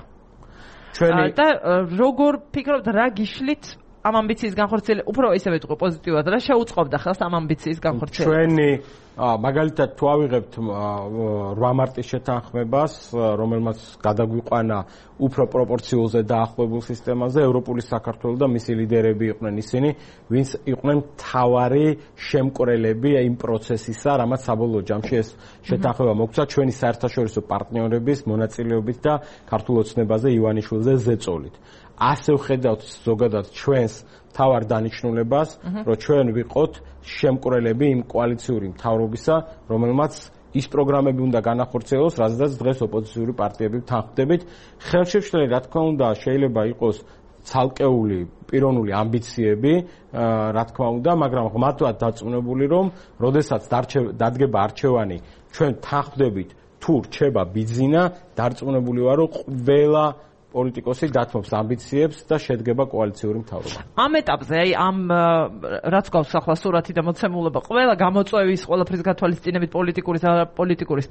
და როგორ ფიქრობთ, რა გიშლით ამ ამბიციის განხორციელება, უფრო ისევე თუ პოზიტიურად, რა შეუწყობდა ხელს ამ ამბიციის განხორციელებას? ჩვენი მაგალითად თუ ავიღებთ 8 მარტის შეთანხმებას, რომელმაც გადაგვიყვანა უფრო პროპორციულზე დაახლოებულ სისტემაზე, ევროპული საქართველო და მისი ლიდერები იყვნენ ისინი, ვინც იყვნენ მთავარი შემკვრელები იმ პროცესისა, რამაც საბოლოო ჯამში ეს შეთანხმება მოგცა ჩვენი საერთაშორისო პარტნიორების მონაწილეობით და ქართულ ოცნებაზე ივანიშვილზე ზეწოლით. ასე ვხედავთ ზოგადად ჩვენს თავარ დანიშნულებას, რომ ჩვენ ვიყოთ შემკვრელები იმ კოალიციური მთავრობისა, რომელმაც ის პროგრამები უნდა განახორციელოს, რაზედაც დღეს ოპოზიციური პარტიები თანხმდებით. ხელშემშლელი, რა თქმა უნდა, შეიძლება იყოს ცალკეული პიროვნული ამბიციები, რა თქმა უნდა, მაგრამ ღმერთად დარწმუნებული, რომ როდესაც დადგება არჩევანი, ჩვენ თანხმდებით თუ რჩება ბიძინა, დარწმუნებული ვარ, რომ ყველა პოლიტიკოსი დათმობს ამბიციებს და შედგება კოალიციური მთავრობა. ამ ეტაპზე, აი ამ რაც გვაქვს ახლა სურათი და მოცემულობა, ყველა გამოწვევის, ყველაფრის გათვალისწინებით პოლიტიკურის და პოლიტიკურის.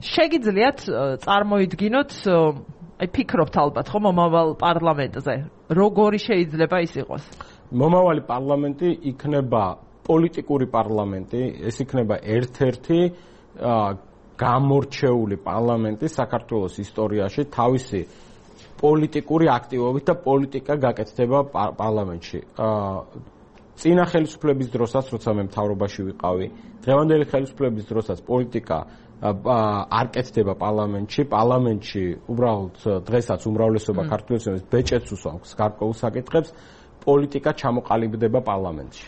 შეგიძლიათ წარმოიდგინოთ, აი ფიქრობთ ალბათ, ხო, მომავალ პარლამენტზე, როგორი შეიძლება ის იყოს? მომავალი პარლამენტი იქნება პოლიტიკური პარლამენტი, ეს იქნება ერთ-ერთი გამორჩეული პარლამენტი საქართველოს ისტორიაში თავისი პოლიტიკური აქტივობით და პოლიტიკა გაკეთდება პარლამენტში. წინა ხელისუფლების დროსაც, როცა მე მთავრობაში ვიყავი, დღევანდელი ხელისუფლების დროსაც პოლიტიკა არ კეთდება პარლამენტში. პარლამენტში უბრალოდ დღესაც უმრავლესობა ქართველებს ბეჭედს უსვამს გარკვეულ საკითხებს, პოლიტიკა ჩამოყალიბდება პარლამენტში.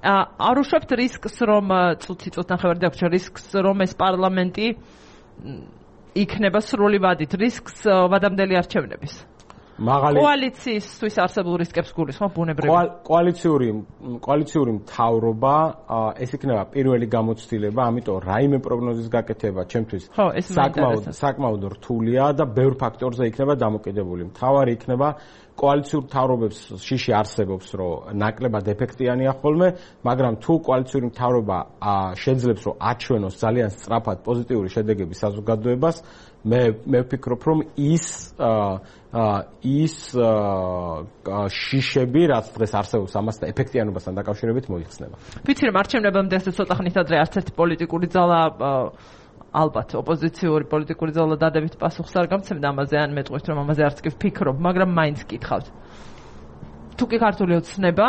არ უშვებთ რისკს, რომ წუთი ნახევარი დაგვრჩა, რისკს, რომ ეს პარლამენტი იქნება სრული ვადით, რისკს ვადამდელი არჩევნების? კოალიციისთვის არსებულ რისკებს გულისხმობ ბუნებრივი. კოალიციური მთავრობა ეს იქნება პირველი გამოცდილება, ამიტომ რაიმე პროგნოზის გაკეთება ჩემთვის საკმაოდ რთულია და ბევრ ფაქტორზე იქნება დამოკიდებული. მთავარი იქნება კოალიციური მთავრობებს შიში არსებობს, რომ ნაკლებად ეფექტიანია ხოლმე, მაგრამ თუ კოალიციური მთავრობა შეძლებს რომ აჩვენოს ძალიან სწრაფად პოზიტიური შედეგები საზოგადოებას, მე ვფიქრობ, რომ ის შიშები, რაც დღეს არსებობს ამასთან ეფექტიანობასთან დაკავშირებით მოიხსნება. ვიცი რომ არჩევნებამდე ასე ცოტა ხნით ადრე არც ერთი პოლიტიკური ძალა ალბათ ოპოზიციური პოლიტიკური ძალა დადებით პასუხს არ გამცემდა ამაზე, ან მეტყვით რომ ამაზე არც კი ვფიქრობ, მაგრამ მაინც გითხავთ. თუ კი ქართული ოცნება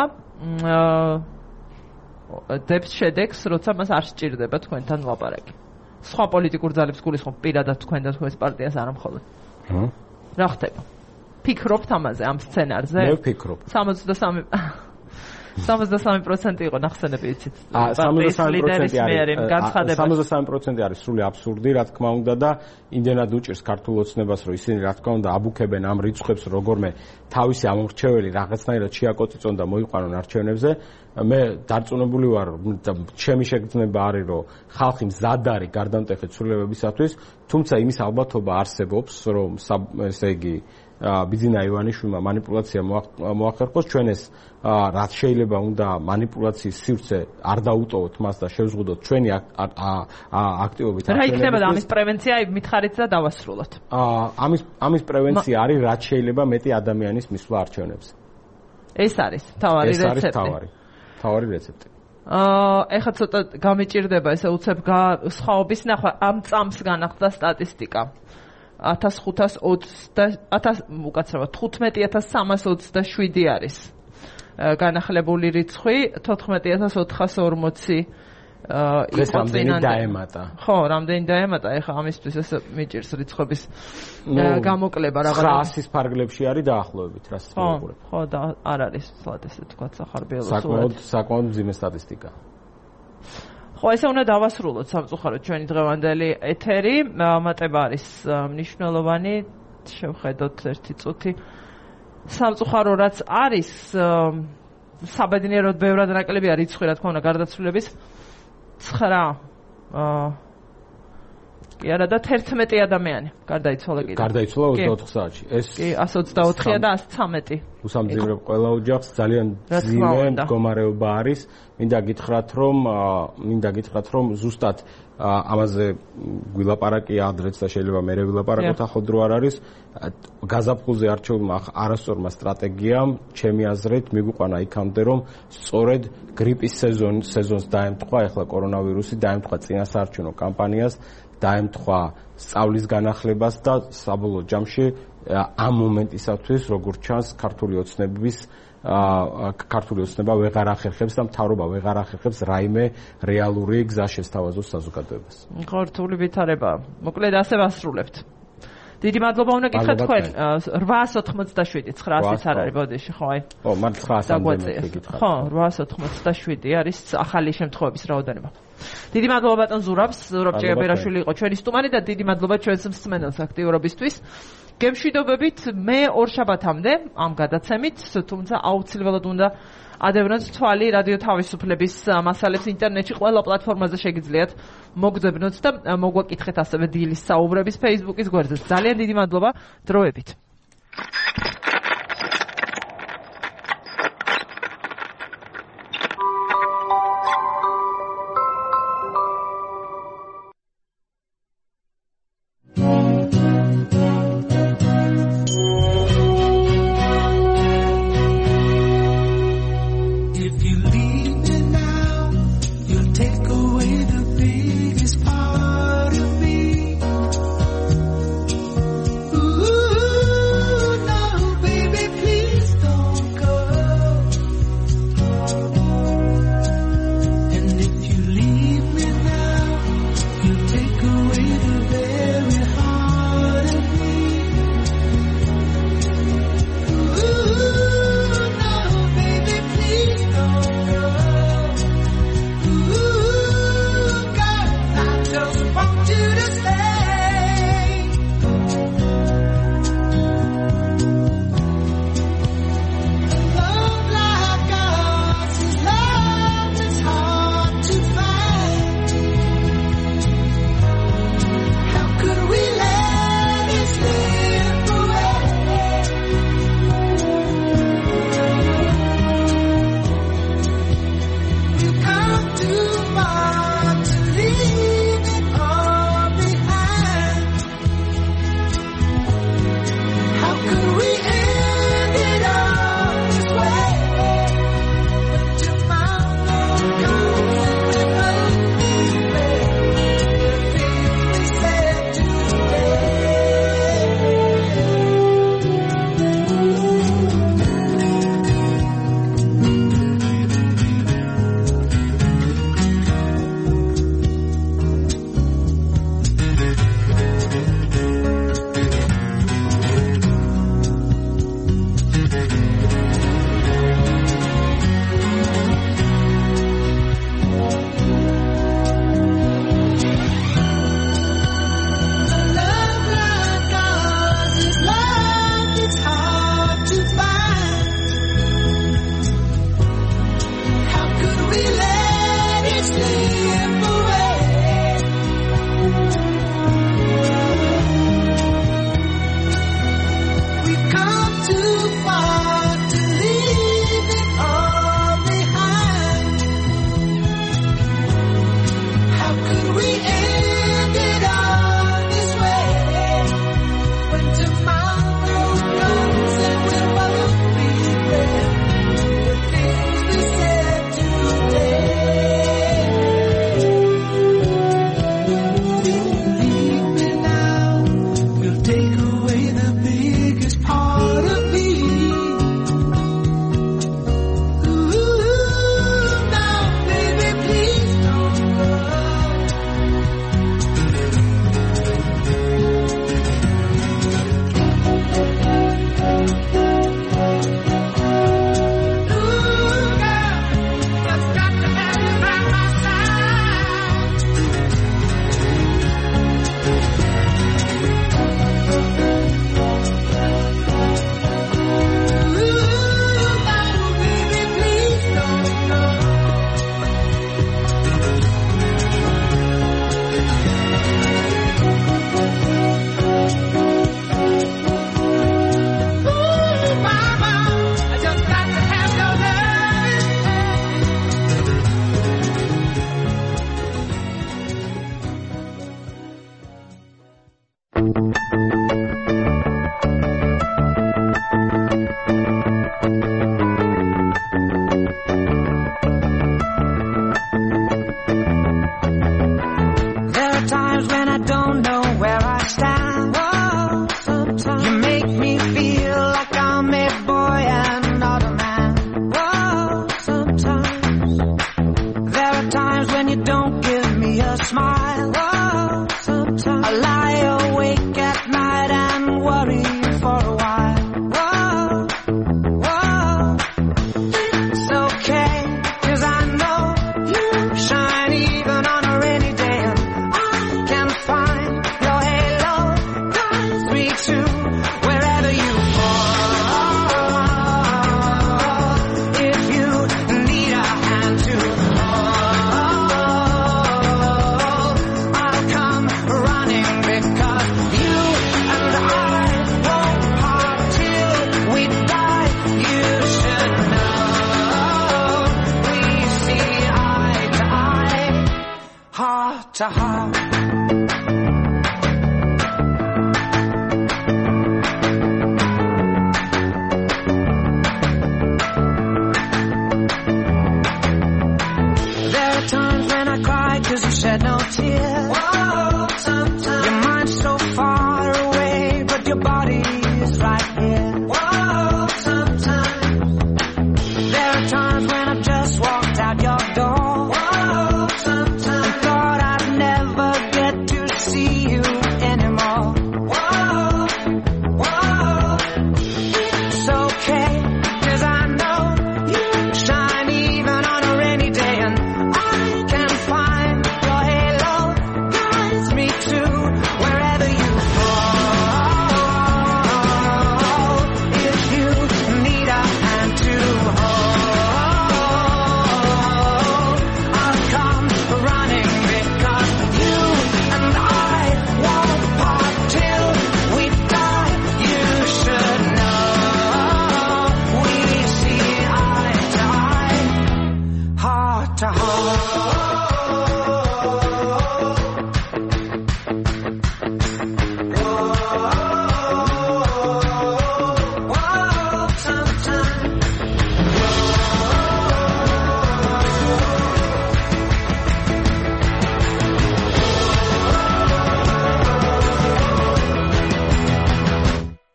დებს შედეგს, როცა მას არ სჭირდება თქვენთან ლაპარაკი. სხვა პოლიტიკურ ძალებს გულისხმობ პირადად თქვენ და თქვენს პარტიას არ მხოლოდ. რა ხდება? ფიქრობთ ამაზე, ამ სცენარზე? მე ვფიქრობ. 63% იყო ნახსენები იცით. 63% არის სრული აბსურდი, რა თქმა უნდა და იმდენად უჭირს ქართულ ოცნებას, რომ ისინი რა თქმა უნდა აბუქებენ ამ რიცხვებს, როგორმე თავისი ამორჩეველი რაღაცნაირად შეაკოწიწონ და მოიყვანონ არჩევნებზე. მე დარწმუნებული ვარ, ჩემი შეგრძნება არის, რომ ხალხი მზად არის გარდამტეხი ცვლილებებისათვის, თუმცა იმის ალბათობა არსებობს, რომ ესე იგი ბიძინა ივანიშვილმა манипуляცია მოახერხოს, ჩვენ ეს რაც შეიძლება უნდა манипуляციის სივრცე არ დაუტოვოთ მას და შევზღუდოთ ჩვენი აქტივობით. რა იქნება ამის პრევენცია, მითხარით და დავასრულოთ. ამის პრევენცია არის რაც შეიძლება მეტი ადამიანის მისვლა არჩევნებზე. ეს არის თავარი რეცეპტი. თავარი რეცეპტი. ეხლა ცოტა გამეჭირდება ესე უცებ სხვაობის ნახვა, ამ წამს განახლდა სტატისტიკა. 15,327 არის განახლებული რიცხვი, 14,440 იყო წინანდ დაემატა. ხო, რამდენი დაემატა, ეხლა ამისთვის ეს მიჭირს რიცხვების გამოკლება რაღაც 900-ის ფარგლებში არის დაახლოებით, რასაც მოვუყურებ. ხო, და არ არის სულად ესე თქვა სახარბიელო საკმაოდ მძიმე სტატისტიკა. ხო, ესე უნდა დავასრულოთ სამწუხაროდ ჩვენი დღევანდელი ეთერი. მატება არის მნიშვნელოვანი, შევხედოთ ერთი წუთი. სამწუხარო რაც არის, საბედნიეროდ ბევრად ნაკლებია რიცხვი, რა თქმა უნდა, გარდაცვლილების 9 კი არა და 11 ადამიანი გარდაიცვალა კიდე. გარდაიცვალა 24 საათში. ეს კი 124 და 113. უსამძიმრებ ყველა ოჯახს, ძალიან ძიმე მდგომარეობა არის. მინდა გითხრათ, რომ ზუსტად ამაზე გვილაპარაკია ადრეც და შეიძლება მერე ვილაპარაკოთ, ახალ დრო არ არის. გაზაფხულზე არჩეულმა არასწორმა სტრატეგიამ, ჩემი აზრით, მიგვიყვანა იქამდე, რომ სწორედ გრიპის სეზონს დაემთხვა, ახლა კორონავირუსი დაემთხვა წინასაარჩევნო კამპანიას, დაემთხვა სწავლის განახლებას და საბოლოო ჯამში ამ მომენტისათვის, როგორც ჩანს, ქართული ოცნება ვეღარ ახერხებს და მთავრობა ვეღარ ახერხებს რაიმე რეალური გზა შესთავაზოს საზოგადოებას. ხო, რთული ვითარება. მოკლედ ასე ვასრულებთ. დიდი მადლობა უნდა გითხრათ თქვენ 887 900-იც არ არის ბოდიში, ხო აი. ხო, მართლა 900-ამდე გითხრათ. ხო, 887 არის ახალი შემთხვევების რაოდენობა. დიდი მადლობა ბატონ ზურაბ ჭიაბერაშვილი იყო ჩვენი სტუმარი და დიდი მადლობა ჩვენს მსმენელს აქტიურობისთვის. გემშვიდობებით მე ორშაბათამდე ამ გადაცემით, თუმცა აუცილებლად უნდა ადევნოთ თვალი რადიო თავისუფლების მასალებს ინტერნეტში ყველა პლატფორმაზე შეგიძლიათ მოგძებნოთ და მოგვაკითხეთ ასევე დილის საუბრების Facebook-ის გვერდზე. ძალიან დიდი მადლობა, დროებით. to heart. There are times when I cry 'cause you shed no tears. Whoa, sometimes your mind's so far away, but your body is right here. Whoa, sometimes there are times when I've just walked out your door. Whoa, sometimes I thought I'd never get to see you anymore. Whoa, whoa, it's okay, 'cause I know you shine even on a rainy day, and I can find your halo guides me to wherever you fall. If you need a hand to hold, I'll come running, because you and I won't part till we die. You should know we see eye to eye, heart to heart. Whoa, sometimes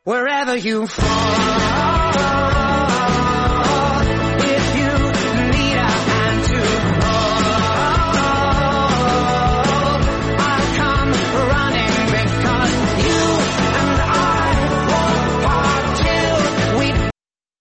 wherever you fall.